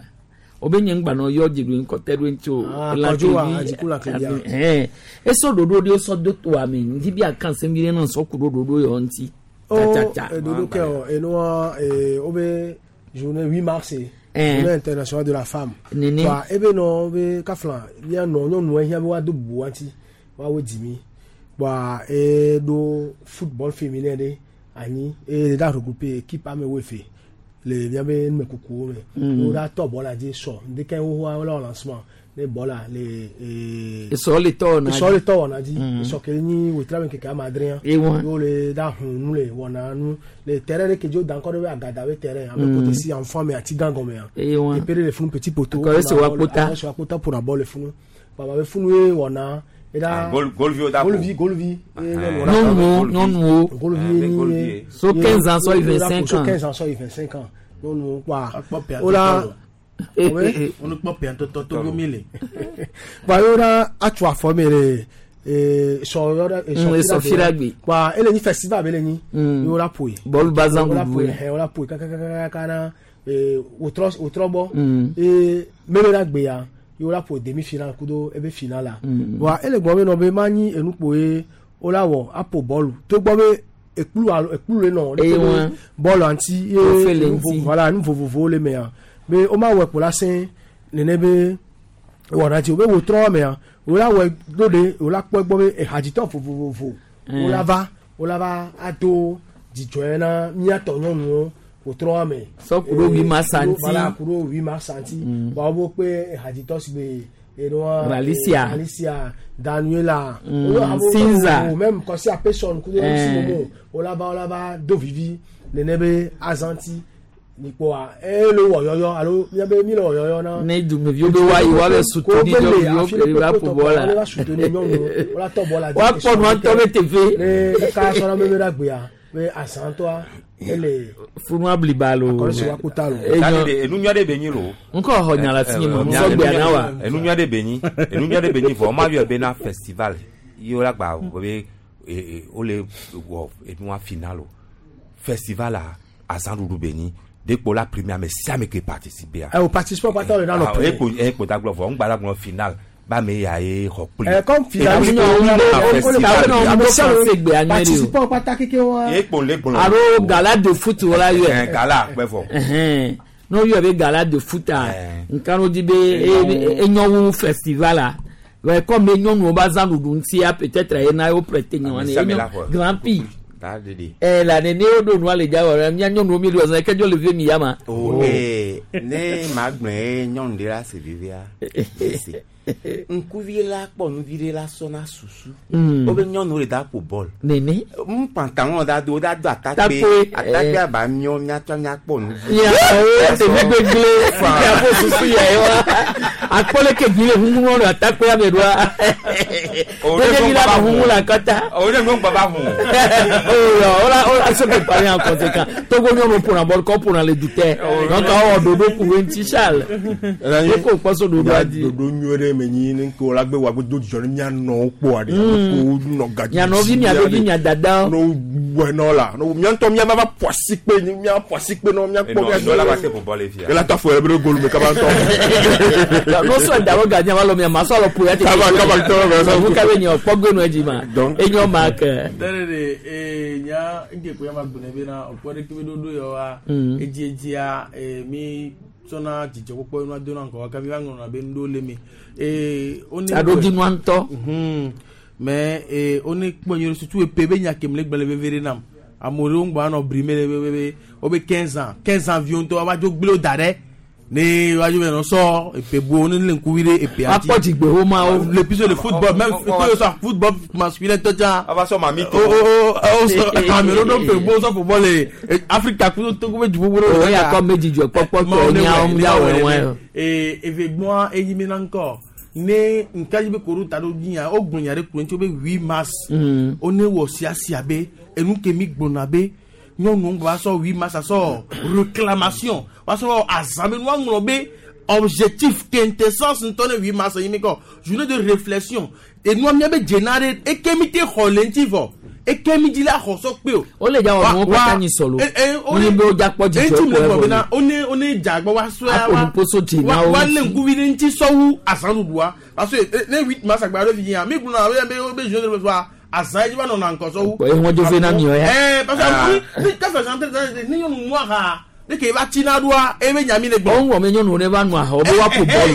o bɛ nye ŋgbanɔ yɔ dziɖu ŋkɔtɛ ɖo ŋuti o. Ah, Kɔdzo wa, Adziku la Klebia. Ɛn esɔ ɖoɖo ɖe sɔ do toa me ŋdi bi akan sɛm yi ne sɔ ku ɖo ɖoɖo yɔ ŋuti. O Tsatsa. dodo kɛ o enua o bɛ journée 8 mars ye. Eh. Journée internationale de la femme. Nene. Wa ebe nɔ be kafla mía nɔ nyɔnuwo hiã be woado bubu wa ŋuti woawo dzi mi. Wa e ɖo football féminin ɖe anyi eye ɖe regrouper équipe amewo eve le míabe numekukuwo me. Wo ɖa tɔ bɔla dzi sɔ ŋdekɛ xoxoa wole wɔ lancement ne bɔla le. Esɔ le tɔ wɔna dzi. Esɔ le tɔ wɔna dzi. Mm. Esɔ ke nyi wetra me keke ame adrea. Ewa. Ye wole ɖa hun nu le wɔna nu le terrain ɖe ke dzi wo da ŋkɔ ɖe be agada be terrain ame Mm. kote si enfant me ati gã gɔmea. Ewa. Teƒe ɖe le funu petit poteau. Akɔ esi wa kpota. Akɔ esi wa kpota ƒona bɔl le funu. Baba be funu ye wɔna. Eɖa Golvi da. Golvi golvi. Ye nyɔnuwo ɖa- Nyɔnuwo nyɔnuwo. Golvi ye nyi ye. So 15 ans sɔ yi 25 So ans. 15 ans sɔ yi 25 ans. Nyɔnuwo kpɔa. pɛ Wola. Wone kpɔ pɛntɔtɔ Togo mi le. Kpa yɔ ɖa atso afɔ mi le ee sɔ yɔ ɖa Esɔ fiɖagbe. Kpa ele nyi festival be le nyi. Mm. Ye wola ƒoe. Bɔlu bazan Wola ɖuɖu ƒoe ye. hɛ wola ƒoe kakakakaka na ee wotrɔ wotrɔ gbɔ. Mm. Ee mebe ɖa gbea ye wola ƒo demi final kudo ebe final la. Mm. Wa ele gbɔ be nɔ be ma nyi enukpo ye wola wɔ aƒo bɔlu togbɔ be ekplu alo ekplu le nɔ. Eye wa. Bɔlu ŋuti ye Wofe le nu ŋuti. voilà nu vovovowo le mea be woma wɔ kpo la sẽ nene be wɔna dzi o be wotrɔ mea wola wɔ ɖo ɖe wola kpɔ egbɔ be ehadzitɔ vovovovo Mm. wola va wola va ado dzidzɔe na míatɔ nyɔnuwo wotrɔ me. Sɔ ku ɖo 8 mars ŋuti. Voilà ku ɖo 8 mars ŋuti. Mm. Wa wo kpe ehadzitɔ si be enua Ralicia. Alicia Daniela. Mm, Wo- abo- Sinza. wo- Même Kɔsi Apeson kudo Eh. MC Momo wola va wola va do vivi nene be azanti nikpɔa eye le wɔ yɔyɔ alo míabe mi le wɔ yɔyɔ na. Ne dumeviwo be woayi woabe soutenir nyɔnuwo ke va ƒo bɔl la. Wola soutenir nyɔnuwo wola tɔ bɔl la. Woakpɔ nua ŋutɔ be teƒe. Ne ka sɔrɔ mebe ɖe agbea be azãtɔa ele. Funua bliba lo. Akɔrɔ si wa kpota lo. Enu nyɔ ɖe be nyi lo. Ŋkɔ xɔ nya le afi nye me, ŋsɔ gbea na wa. Enu nyɔ ɖe be nyi enu nyɔ ɖe be nyi vɔ ma yɔ be na festival ye wola gba be wole wɔ enua final o festival la azãɖuɖu be nyi dekpo la premier ame sia ame ke participer Ɛ o participant kpata le nanɔ Ah, ekpo ekpo da gblɔ vɔ ŋgba la gblɔ final ba me ya ye xɔ kpli. Ɛ comme final participant kpata keke wa. Ekpo le gblɔ. Alo gala de foot wola yɔe. Ɛ gala kpɛ vɔ. Ɛhɛn. N'o yɔ be gala de foot a nka n'o di be enyɔwu festival a ouais comme enyɔnuwo ba zã ɖuɖu ŋutia peut-être ena ye wo prêter nyɔnu Ame sia ame la xɔ. grand prix. Da ɖeɖe. Ɛ la nene wo ɖo nua le dza wɔ mía nyɔnuwo mi le wɔ zã ke dzo le vie mi ya ma. O ee ne ma gblɔe ye nyɔnu ɖe la se vevia ese ŋkuvi la kpɔ nuvi ɖe la sɔna susu. Mm. Wobe nyɔnuwo le da ƒo bɔl. Nene. N pantalon da do wo da do atakpe Takpe, atakpe eh. aba miɔ miatsɔ miakpɔ nuvi. Ya o teƒe gbegble ya fo susu ya ye wa akpɔ leke dzi le huhu le atakpe ame ɖoa. Leke dzi la huhu le akɔta. O de ŋgɔ ba hun. Oh, ola ola se préparer en conséquent. Togo nyɔnu ƒona bɔl kɔ ƒona le dutɛ. Donc awɔ ɖoɖo ɖoɖo ku ɖe ŋuti Charles. Eko kpɔ so ɖoɖoa dzi. Ɖoɖo nyuie ɖe me nyi ne ke wola gbe wa gbe do dzidzɔ ne mianɔwo kpɔa ɖe. Ko nɔ gadzi. Mia nɔvi, mia vevi, mia dadawo. No wɔ nɔ la. No mia ŋutɔ mia va va ƒo asikpe mia ƒo asikpe nɔ mia kpɔ mia. Enɔ la va te ƒo bɔl efia. Ela ta fo yɛrɛ bɛ golu me kaba ŋutɔ. No sɔ da wo gadzi ava lɔ mia ma sɔ lɔ ƒo ya te. Kaba kaba ŋutɔ bɛ sɔ. Nu ka be nye kpɔ gbe nɔ edzi ma. Enyo ma ke. Tẹ́lẹ̀ de nya nke ko ya ma gbɔnɛ bɛ na o kpɔ de kebe ɖoɖo yɔ wa edziedzia mi sɔna dzidzɔkpɔkpɔ yɔ na do na ŋgɔ wa kabi va ŋlɔna be nuɖewo le me. One Taɖodzinua ŋutɔ. Mais one kpɔ nyuie surtout epe be nya kemi le gblẽ le veve ɖe nam. Ame ɖewo ŋgbɔ anɔ brime le bebe wobe 15 ans 15 ans viwo ŋutɔ woava dzo gblẽ wo da ɖe ne woadzo be nɔ sɔ epe bu ne le ŋkuvi ɖe epea dzi. Akpɔ dzigbewo mawo. Le plus le football même que ce soit football masculin tɔ tsã. Ava sɔ mami to. O o o sɔ ame ɖewo ɖo pe bo sɔ football le Afrika kudo Togo be du gbogbo ɖewo. O ya kɔ me dzidzɔ kpɔkpɔ tɔ nyawo miawɔ wɔe. Ee eve gbɔa eyi mi na ŋkɔ ne nka yi be koro ta ɖo dzia wo gblɔ nya ɖe kuro ŋuti wo be 8 mars. Wo ne wɔ siasia be enu ke mi gblɔna be nyɔnuwo va sɔ 8 mars asɔ réclamation va sɔ azã be nua ŋlɔ be objectif quintessence ŋutɔ ne 8 mars yi mi kɔ journée de réflexion enua mia be dzena ɖe eke mi te xɔ le ŋuti vɔ eke mi dzi la xɔ sɔ kpe o. O le dza wɔ nuwo katã nyi sɔlo. Wonye be wodza kpɔ dzidzɔ ŋuti mi kpɔ le gbɔ evɔ bena one one dza gbɔ wa sɔe Aƒo nuƒo so dzi na wo wa lé ŋuti. ŋkuvi ɖe ŋuti sɔwu azãɖuɖua parce que ne 8 mars agba ɖe fi dzia mi gblɔna be be be journée de réflexion azã yi dzi va nɔna ŋkɔ sɔwu. Kpɔ eŋɔ dzo ve na miɔ ya. Ɛɛ parce que amewo ni kafe zan tɛ ni nyɔnu mu aha ne ke va tsi na ɖoa ebe nya mi le gbɔ. Wɔn wɔ me nyɔnuwo ne va nu aha wo be woaƒo bɔlu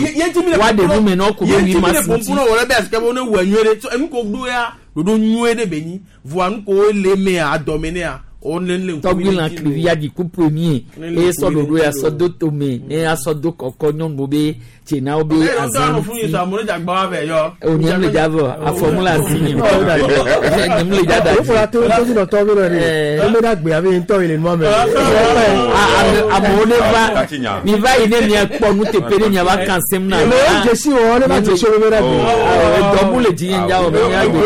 woaɖe nu me na wo ko be 8 mars ŋuti. ŋuti. Wòle be asike be wo ne wɔ nyuie ɖe so enu ko ɖo ya ɖoɖo nyuie ɖe be nyi voa nu ko le mea adɔme nea wo ne le ŋkuvi Tɔgbi ɖe lã ŋuti klivi ya dzi ku premier Ne le eye sɔ ŋkuvi ɖoɖo ɖe ya ŋuti sɔ do tome ne ya sɔ do kɔkɔ nyɔnuwo be dzena wo be Ɛ azã ŋutɔ anɔ fún yi ŋuti. sɔ amewo ne dze agba wa vɛ yɔ. O nye mu le dza vɔ afɔ mu le asi nye nye mu le dza da O fɔra to to si nɔtɔ bi nɔ de o bɛ na gbe abe ŋutɔ yi le nua mɛ. Amewo ne va mi va yi ne mia kpɔ nuteƒe ne mia va kan sem na. Mɛ o dzesi wɔ ne va dzesi o bɛ na gbe. Dɔbu le dzi nye dza wɔ mɛ mia gbe.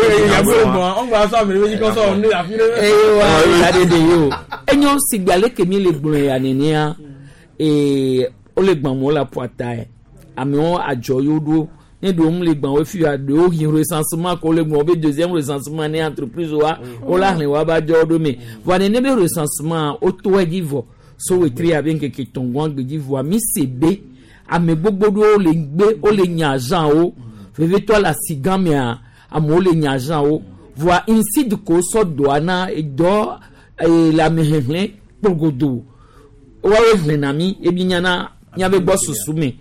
Eye wa ta ɖe ɖe yi o. Enyo sigbe ale ke mi le gblɔe ya nenea ee wole gbãm wo le aƒua ta ye amewo adzɔ yewo ɖo ne ɖewo mu le gbã wo fi ya ɖewo yi recensement ko le gblɔ be deuxième recensement ne entreprise wa wole ahlẽ wa ba dzɔ ɖo me voa nene be recensement woto edzi vɔ so wetri abe ŋkeke tɔngɔn gbedzi vɔa mi se be ame gbogbo ɖewo le gbe wole nya agent wo vevitɔ le asi gã mea amewo le nya agent wo voa inside ko sɔ dɔa na edɔ ee le amehehlẽ kpogodo woawoe hlẽna mi ebi nyana miabe gbɔ susu me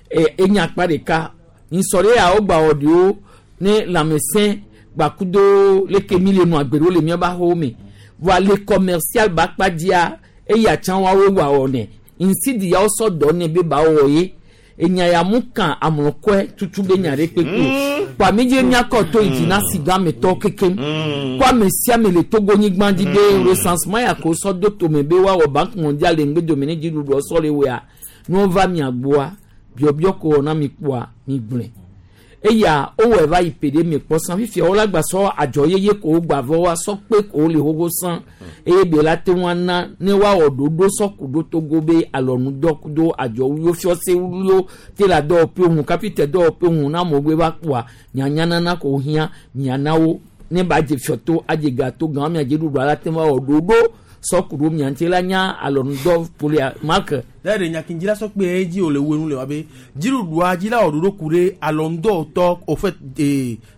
e enya akpa ɖeka nsɔ ɖe ya wogba wɔ ɖewo ne lãmesẽ gbakudo leke mi le nu agbe ɖewo le miabe axɔwo me voa le commercial ba akpa dzia eya tsã woawoe gba wɔ nɛ nsidi ya wosɔ dɔ nɛ be ba wɔ ye enya ya mu kan amlɔkɔe tutu be nya ɖe kpekpe o kpa mi dze miakɔ to yi dzi na si gã metɔ kekem kó ame sia ame le Togo-nyigba dzi be recensement ya ko sɔ do tome be woawɔ banque mondiale le ŋgbedome ne dziɖuɖuɔ sɔ le wɔa ne wova mia gbɔa biɔbiɔ ko wɔ na mi kpɔa mi gblɔe eya wowɔe va yi pe ɖe mi kpɔ sã fifia wola gba sɔ adzɔ yeye ko wogba vɔ wa sɔ kpe ko wole xoxo sã eye be la te ŋu ana ne woawɔ ɖoɖo sɔ ku ɖo Togo be alɔnudɔ kudo adzɔwuiwo fiɔsewuiwo te le dɔwɔƒewo ŋu kapita dɔwɔƒewo ŋu na amewo gbe va kpɔa nyanyanana ko hiã mianawo ne ba dze fiɔto adze gato gã mia dze ɖuɖu ala te ŋu awɔ ɖoɖo sɔ ku ɖo mia ŋuti la nya alɔnudɔ polia mark. Lẹ́yìn ìyàkínjí lásán pé ẹ jí olè wẹnu lè wá bẹ jírudu ajílá òdodo kure alọ́ndọ̀ tọ́ òfẹ́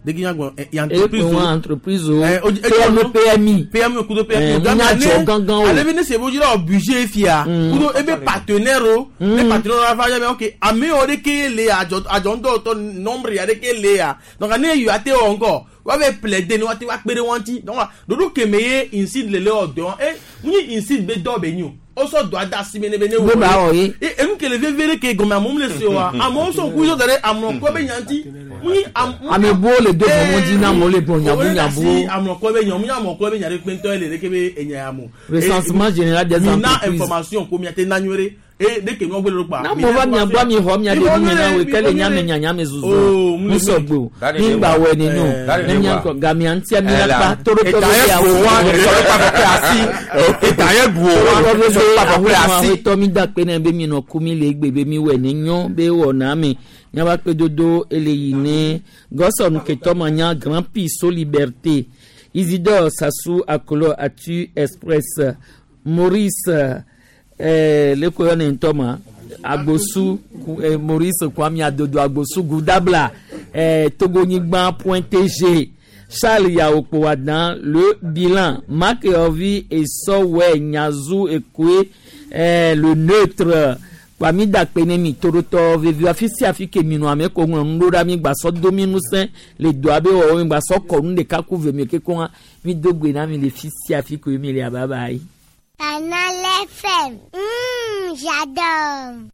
dẹ́gínyàgbọ̀n Epe wọn entreprise o PME PMI PME kudo PMI ŋunyadzɔ gangan o ale bi ne sebo dzila o budget fia kudo ebe partenaire o ne partenaire la fa yɛ bɛ ok ame yɔ de ke le adzɔ adzɔndɔ tɔ nombre ya de ke le ya donc ne yɔ ate wɔ ŋkɔ wa bɛ plaider ne wa te wa kpe ɖe wɔn ti donc dodo kɛmɛ ye insigne le le wɔ dɔn e mun ye insigne bɛ dɔ bɛ nyi o o sɔ dɔ a da si ne bɛ ne Wo ba wɔ ye. e enu kele veve ɖe ke gɔmɛ amewo le se wa amewo sɔ ku yɔ da ɖe amlɔkɔ bɛ nyanti mun ye am. Ame buwo le do vɔvɔ dzi na amewo le gblɔ nyabu nyabu. Amlɔkɔ bɛ nya mun ye amlɔkɔ bɛ nya ɖe kpɛntɔ ye le ɖe ke be enya ya mo. Recensement général des Mina entreprises. information ko miate na nyuie ɖe E de ke mi gbe le kpa. Na mo va mia gbɔ mi xɔ mia ɖe nu me na wo ke le nya me nyanya me zuzu. Oh, Mu sɔgbe o. Mi gba wɔ ne no. Dani Ne de mia wa. kɔ gamia ŋutia mi Eh, la la. kpa toro tɔ Eta be ye awo. ƒo wa, sɔ ɖe kpa ƒe asi. Eta ye bu o wa, sɔ ɖe kpa ƒe asi. Aƒetɔ mi da kpe ne be mi nɔ ku mi le egbe be mi wɔ ne nyɔ be wɔ na me. Nyaba kpe dodo ele yi ne gɔsɔn ketɔ ma nya Grand Prix so Liberté. Isidore Sassou Akolo Atu Express Maurice le ko yɔ ne ŋutɔ ma Agbosu Maurice Kwame Adodo Agbosu Goudabla Togonyigba point TG Charles Yaokpowadan le bilan Marc Yovi Esɔwɛ Nyazu Ekoe le neutre Kwame Dakpe ne mi torotɔ vevi afi sia afi ke mi nɔ ame ko ŋlɔ nu ɖo ɖa mi gba sɔ do mi ŋusẽ le doa be wɔwɔ mi gba sɔ kɔ nu ɖeka ku ve mi keke hã mi do gbe na mi le fi sia afi ke mi le ababa yi. Canal FM. J'adore.